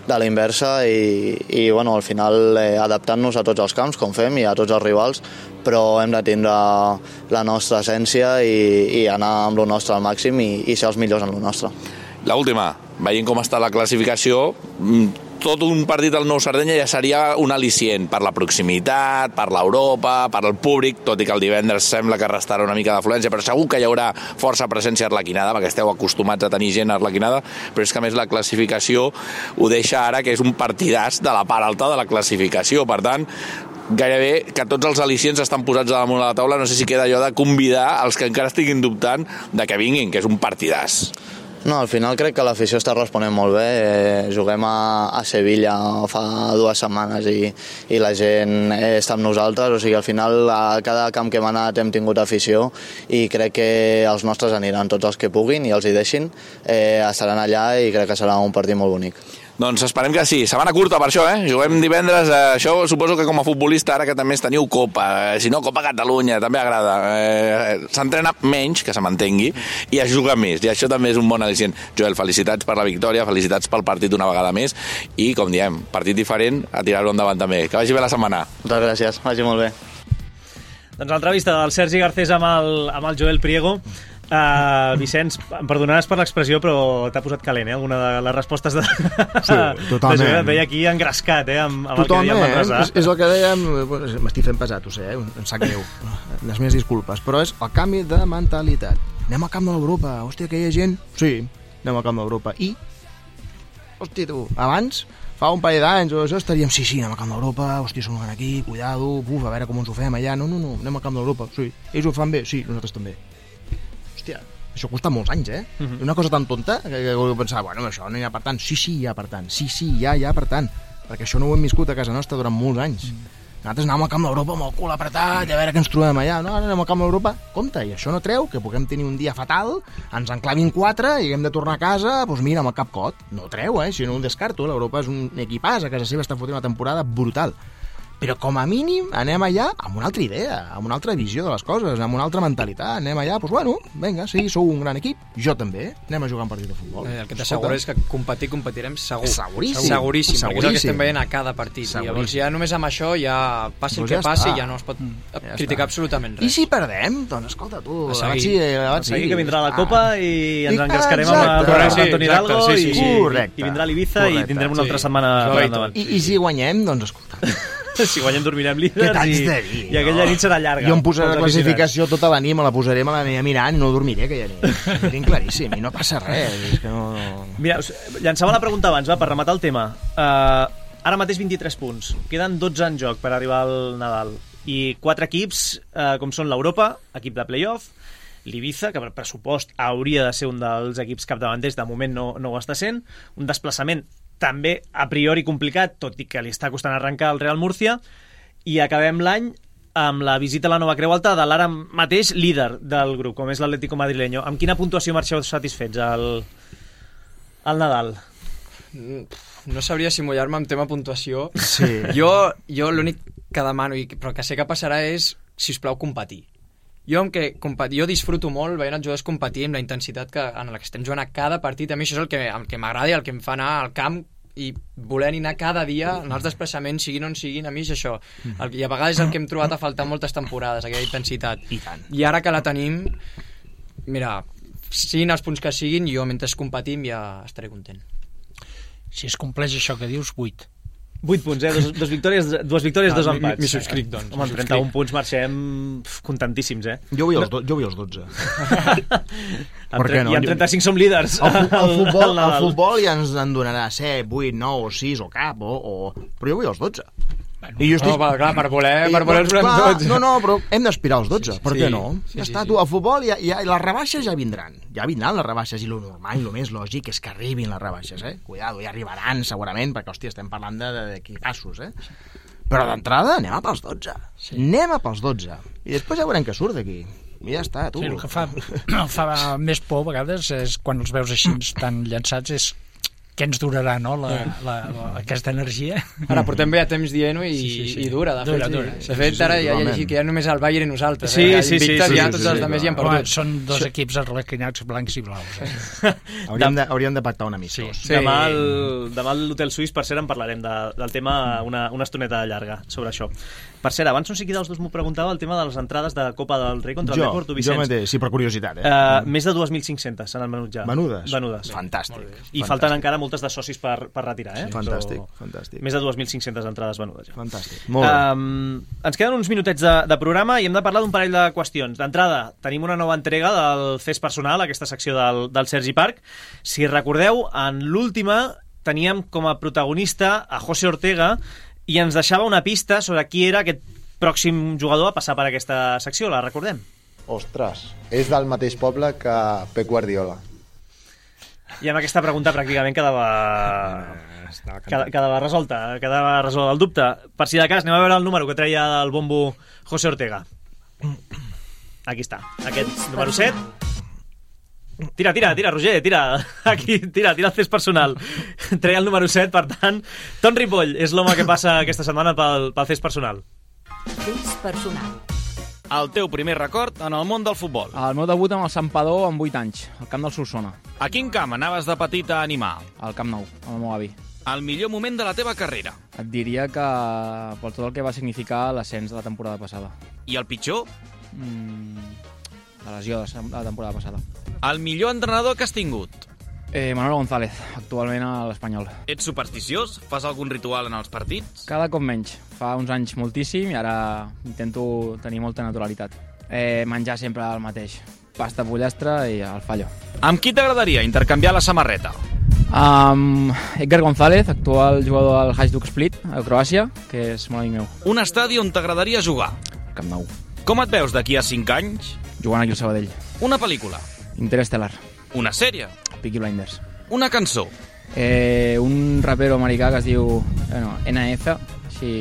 de la inversa i, i bueno, al final eh, adaptant-nos a tots els camps, com fem, i a tots els rivals, però hem de tindre la nostra essència i, i anar amb el nostre al màxim i, i ser els millors en el nostre. L'última, veient com està la classificació, tot un partit al Nou Sardenya ja seria un al·licient per la proximitat, per l'Europa, per el públic, tot i que el divendres sembla que restarà una mica d'afluència, però segur que hi haurà força presència arlequinada, perquè esteu acostumats a tenir gent arlequinada, però és que a més la classificació ho deixa ara que és un partidàs de la part alta de la classificació, per tant gairebé que tots els al·licients estan posats damunt de la taula. No sé si queda allò de convidar els que encara estiguin dubtant de que vinguin, que és un partidàs. No, al final crec que l'afició està responent molt bé. Eh, juguem a, a Sevilla fa dues setmanes i, i la gent està amb nosaltres, o sigui, al final a cada camp que hem anat hem tingut afició i crec que els nostres aniran, tots els que puguin i els hi deixin, eh, estaran allà i crec que serà un partit molt bonic. Doncs esperem que sí. Setmana curta per això, eh? Juguem divendres. Eh, això suposo que com a futbolista, ara que també teniu Copa, eh, si no, Copa Catalunya, també agrada. Eh, S'entrena menys, que se m'entengui, i es juga més. I això també és un bon al·licient. Joel, felicitats per la victòria, felicitats pel partit una vegada més, i, com diem, partit diferent, a tirar-ho endavant també. Que vagi bé la setmana. Moltes gràcies, vagi molt bé. Doncs l'entrevista del Sergi Garcés amb el, amb el Joel Priego. Uh, Vicenç, em perdonaràs per l'expressió, però t'ha posat calent, eh? Alguna de les respostes de... Sí, totalment. De et veia aquí engrescat, eh? Amb, amb totalment, el que dèiem és, és el que dèiem... M'estic fent pesat, ho sé, eh? Em sap greu. Les meves disculpes, però és el canvi de mentalitat. Anem al camp de l'Europa, hòstia, que hi ha gent... Sí, anem al camp de l'Europa. I, hòstia, tu, abans, fa un parell d'anys o això, estaríem, sí, sí, anem al camp d'Europa, hòstia, som aquí, cuidado, buf, a veure com ens ho fem allà. No, no, no, anem al camp d'Europa, sí. Ells ho fan bé? Sí, nosaltres també. Hòstia, això costa molts anys, eh? Uh-huh. Una cosa tan tonta que, que, que pensava, bueno, això no hi ha per tant. Sí, sí, hi ha per tant. Sí, sí, hi ha, hi ha per tant. Perquè això no ho hem viscut a casa nostra durant molts anys. Uh-huh. Nosaltres anàvem al camp d'Europa amb el cul apretat, a veure què ens trobem allà. No, ara anem al camp d'Europa. Compte, i això no treu que puguem tenir un dia fatal, ens enclavin quatre i haguem de tornar a casa, doncs mira, amb el cap cot. No treu, eh? Si no ho descarto. L'Europa és un equipàs, a casa seva està fotent una temporada brutal. Però com a mínim anem allà amb una altra idea, amb una altra visió de les coses, amb una altra mentalitat. Anem allà, doncs bueno, vinga, sí, sou un gran equip, jo també, anem a jugar un partit de futbol. Eh, el que t'asseguro és que competir, competirem segur. Seguríssim. Seguríssim, Seguríssim, perquè és el que estem veient a cada partit. Seguríssim. I llavors ja només amb això, ja passi el doncs que ja passi, està. ja no es pot ja criticar està. absolutament res. I si perdem? Doncs escolta tu, a seguir, seguir, a seguir que vindrà la Copa i ens I, engrescarem exacte. amb el Correcte, Antoni Hidalgo sí, sí, sí. i, Correcte. i vindrà l'Ibiza i Correcte. tindrem una altra Sí. setmana per endavant. I, I si guanyem, doncs escolta. Si guanyem dormirem líders Què t'haig i, de dir, i aquella no? nit serà llarga. Jo em posaré la pels classificació tota la nit, me la posaré, me l'aniré mirant i no dormiré aquella nit. Ho tinc claríssim i no passa res. És que no... Mira, llançava la pregunta abans, va, per rematar el tema. Uh, ara mateix vint-i-tres punts. Queden dotze en joc per arribar al Nadal. I quatre equips, uh, com són l'Europa, equip de play-off, l'Ibiza, que per pressupost hauria de ser un dels equips capdavanters, de moment no, no ho està sent, un desplaçament també a priori complicat, tot i que li està costant arrencar el Real Murcia, i acabem l'any amb la visita a la Nova Creu Alta de l'ara mateix líder del grup, com és l'Atlético Madrileño. Amb quina puntuació marxeu satisfets al, al Nadal? No sabria si mullar-me en tema puntuació. Sí. Jo, jo l'únic que demano, i, però que sé que passarà, és, si us plau, competir. Jo, amb que, jo disfruto molt veient els jugadors competir amb la intensitat que, en la que estem jugant a cada partit. A mi això és el que, el que m'agrada i el que em fa anar al camp i voler anar cada dia en els desplaçaments, siguin on siguin. A mi és això. El, I a vegades és el que hem trobat a faltar moltes temporades, aquella intensitat. I tant. I ara que la tenim, mira, siguin els punts que siguin, jo mentre competim ja estaré content. Si es compleix això que dius, vuit. vuit punts, eh? Dos, dos victòries, dues victòries, Ah, dos mi- empats. m'hi subscric, doncs. Home, amb trenta-un punts marxem pf, contentíssims, eh? Jo vull els, do, jo vull els dotze. Amb Per què tre- no? I amb trenta-cinc som líders. El, fu- el, al- futbol, al el Nadal. futbol ja ens en donarà set, vuit, nou, sis o cap, o, o... però jo vull els dotze. Bueno, I jo No, clar, clar, per voler, per voler els volem clar, tots. No, no, però hem d'aspirar als dotze, Sí, per sí, què no? sí, Ja sí, està, sí. tu, el futbol, ja, ja, les rebaixes ja vindran. Ja vindran les rebaixes, i lo normal, i lo més lògic és que arribin les rebaixes, eh? Cuidado, ja arribaran segurament, perquè, hòstia, estem parlant de- de- d'equipassos, eh? Però d'entrada anem a pels dotze. Sí. Anem a pels dotze. I després ja veurem què surt d'aquí. I ja està, tu. Sí, el que fa, el fa més por a vegades és quan els veus així tan llançats és què ens durarà, no?, la, la, la, aquesta energia. Ara portem bé a temps dient-ho i, Sí, sí, sí. i dura, de fet. Dura, sí. dura. De Sí, fet, sí, ara ja he totalment. llegit que ja només el Bayern i nosaltres. Sí, eh? sí, sí, Invictes, sí, ja sí, tots sí, els sí, altres ja han Home, perdut. són dos equips arlequinats blancs i blaus. Eh? Hauríem de, hauríem de pactar un amistós. Sí. Demà, al, demà a l'Hotel Suís, per cert, en parlarem de, del tema una, una estoneta llarga sobre això. Per cert, abans no sé qui dels dos m'ho preguntava el tema de les entrades de Copa del Rei contra el Jo, Depor, tu, jo Vicenç. mateix, sí, per curiositat, eh? Uh, més de dos mil cinc-cents se n'han venut ja. Venudes? Venudes. Fantàstic. I Fantàstic. falten encara multes de socis per, per retirar, eh? Sí, fantàstic, Però fantàstic. Més de dues mil cinc-centes entrades venudes. Ja. Fantàstic, molt bé. Um, ens queden uns minutets de, de programa i hem de parlar d'un parell de qüestions. D'entrada, tenim una nova entrega del Fes Personal, aquesta secció del, del Sergi Parc. Si recordeu, en l'última teníem com a protagonista a José Ortega i ens deixava una pista sobre qui era aquest pròxim jugador a passar per aquesta secció. La recordem? Ostres, és del mateix poble que Pep Guardiola. I amb aquesta pregunta pràcticament quedava, quedava, quedava resolta, quedava resolt el dubte. Per si de cas, anem a veure el número que treia del bombo José Ortega. Aquí està, aquest número set. Tira, tira, tira, Roger, tira. Aquí, tira, tira el Fes Personal. Treia el número set, per tant, Ton Ripoll és l'home que passa aquesta setmana pel, pel Fes Personal. Fes Personal. El teu primer record en el món del futbol. El meu debut amb el Santpedor amb vuit anys, al camp del Solsona. A quin camp anaves de petit a animar? Al Camp Nou, amb el meu avi. El millor moment de la teva carrera? Et diria que per tot el que va significar l'ascens de la temporada passada. I el pitjor? Mm, la lesió de la temporada passada. El millor entrenador que has tingut? Eh, Manuel González, actualment a l'Espanyol. Ets supersticiós? Fas algun ritual en els partits? Cada cop menys. Fa uns anys moltíssim i ara intento tenir molta naturalitat. Eh, menjar sempre el mateix. Pasta, pollastre i el fallo. Amb qui t'agradaria intercanviar la samarreta? Amb Edgar González, actual jugador del Hajduk Split, a Croàcia, que és molt amic meu. Un estadi on t'agradaria jugar? Camp Nou. Com et veus d'aquí a cinc anys? Jugant aquí al Sabadell. Una pel·lícula? Interestelar. Una sèrie? Peaky Blinders. Una cançó? Eh, un rapero americà que es diu bueno, N F, així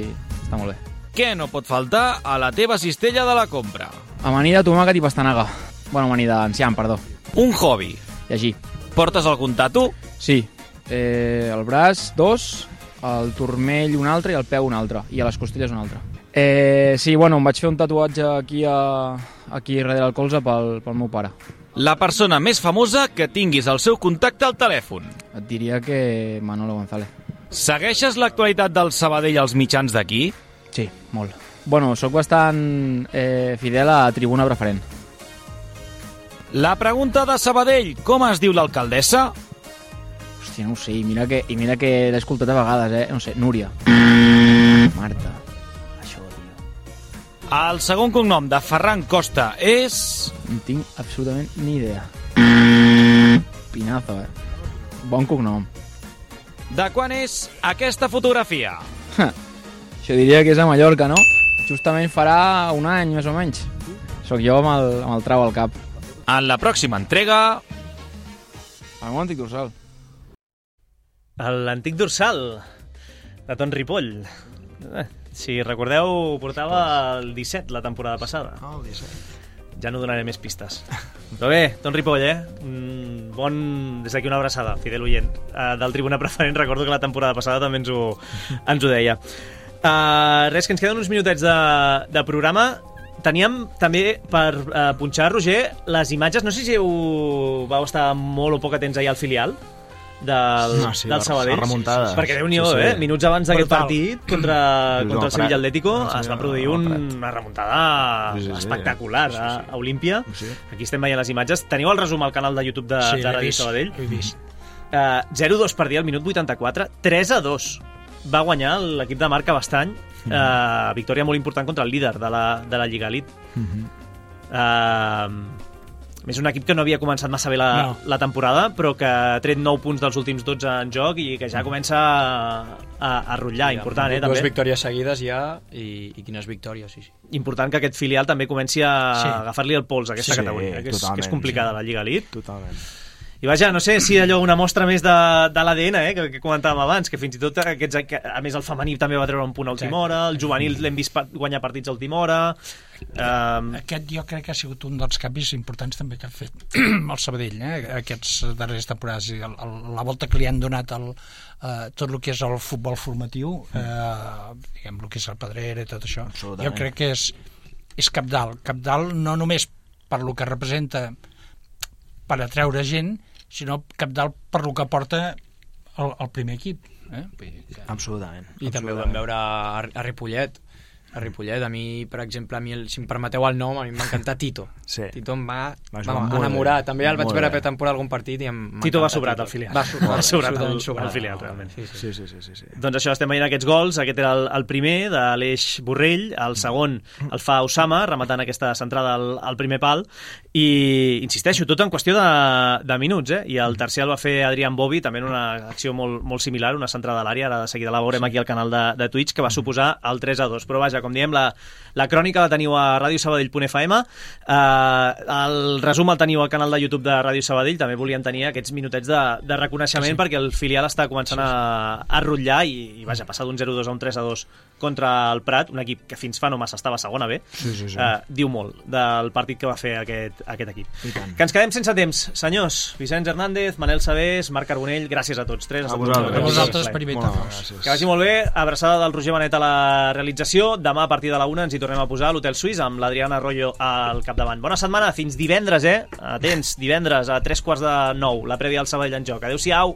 està molt bé. Què no pot faltar a la teva cistella de la compra? Amanida, tomàquet i pastanaga. Bueno, amanida enciam, perdó. Un hobby? Llegir. Portes algun tatu? Sí. Eh, el braç, dos, el turmell un altre i el peu un altre, i a les costelles un altre. Eh, sí, bueno, em vaig fer un tatuatge aquí, a, aquí darrere el colze pel, pel meu pare. La persona més famosa que tinguis el seu contacte al telèfon? Et diria que Manolo González. Segueixes l'actualitat del Sabadell als mitjans d'aquí? Sí, molt. Bueno, sóc bastant eh, fidel a Tribuna Preferent. La pregunta de Sabadell, com es diu l'alcaldessa? Hòstia, no ho sé, i mira que, i mira que l'he escoltat a vegades, eh? No sé, Núria. Marta. Això, tio. El segon cognom de Ferran Costa és... No tinc absolutament ni idea. Pinazo, eh? Bon cognom. De quan és aquesta fotografia? Ha, això diria que és a Mallorca, no? Justament farà un any, més o menys. Soc jo amb el, amb el trau al cap. En la pròxima entrega... El meu antic dorsal. L'antic dorsal de Ton Ripoll. Eh, si recordeu, portava el disset la temporada passada. Ah, el disset. Ja no donaré més pistes. Però bé, Ton Ripoll, eh? Un bon... Des d'aquí una abraçada, fidel oient. Uh, del Tribuna Preferent, recordo que la temporada passada també ens ho, ens ho deia. Uh, res, que ens queden uns minutets de, de programa. Teníem també per uh, punxar, Roger, les imatges. No sé si heu, vau estar molt o poc atents ahir al filial del, no, sí, del Sabadell, remuntada. perquè Déu-n'hi-do, sí, sí. eh? Minuts abans d'aquest partit contra, sí, contra el sí, Sevilla Atlético sí, es va produir un, una remuntada sí, sí, sí, espectacular sí, sí, sí. a Olímpia. Sí. Aquí estem veient les imatges. Teniu el resum al canal de YouTube de, sí, de Ràdio Sabadell? He vist. Uh, zero dos per dir al minut vuitanta-quatre, tres a dos va guanyar l'equip de Marc Cabestany. Mm -hmm. uh, victòria molt important contra el líder de la, de la Lliga Elite. Mm -hmm. uh, és un equip que no havia començat massa bé la, no. la temporada, però que ha tret nou punts dels últims dotze en joc i que ja comença a, a, a rotllar. Sí, important, eh, també. Dues victòries seguides ja, i, i quines victòries, sí, sí. Important que aquest filial també comenci a sí. agafar-li el pols a aquesta sí, categoria, que és, que és complicada, sí. La Lliga Elite. Totalment. I vaja, no sé si allò una mostra més de, de l'A D N, eh, que, que comentàvem abans, que fins i tot aquests, que, a més el femení també va treure un punt a última hora, el juvenil l'hem vist guanyar partits a última hora. Um... Aquest jo crec que ha sigut un dels canvis importants també que ha fet el Sabadell, eh, aquests darrers temporades. El, el, la volta que li han donat el, eh, tot el que és el futbol formatiu, eh, diguem, el que és el Pedrera i tot això, jo crec que és, és cabdal. Cabdal no només per lo que representa per atreure gent, sinó cabdal per lo que porta el, el primer equip. Eh? Absolutament. I també ho vam veure a, a Ripollet, a Ripollet. A mi, per exemple, a mi el, si em permeteu el nom, a mi em va encantar Tito. Sí. Tito em va, va va enamorar. Bé. També el vaig veure per temporada algun partit i em Tito va sobrat al filial. Va sobrat, va sobrat al, al filial, realment. Sí sí. Sí, sí, sí, sí. Doncs això, estem veient aquests gols. Aquest era el, el primer de l'Eix Borrell, el segon el fa Osama, rematant aquesta centrada al, al primer pal, i insisteixo, tot en qüestió de, de minuts, eh? I el tercer el va fer Adrián Bovi, també en una acció molt, molt similar, una centrada a l'àrea, ara de seguida la veurem aquí al canal de, de Twitch, que va suposar el tres a dos. Però vaja, com diem, la, la crònica la teniu a ràdio sabadell punt f m, eh, el resum el teniu al canal de YouTube de Ràdio Sabadell. També volíem tenir aquests minutets de, de reconeixement, sí, perquè el filial està començant a, a rotllar i, i vaja, passar d'un zero a dos a un tres a dos contra el Prat, un equip que fins fa no massa estava segona B, sí, sí, sí. Eh, diu molt del partit que va fer aquest, aquest equip. Que ens quedem sense temps, senyors. Vicenç Hernández, Manel Sabés, Marc Carbonell, gràcies a tots tres. A vosaltres, a vosaltres per invitar-nos. Que vagi molt bé. Abraçada del Roger Benet a la realització. Demà a partir de la una ens hi tornem a posar a l'Hotel Suís amb l'Adriana Arroyo al capdavant. Bona setmana, fins divendres, eh? Atents, divendres a tres quarts de nou, la prèvia al Sabadell en joc. Adéu-siau.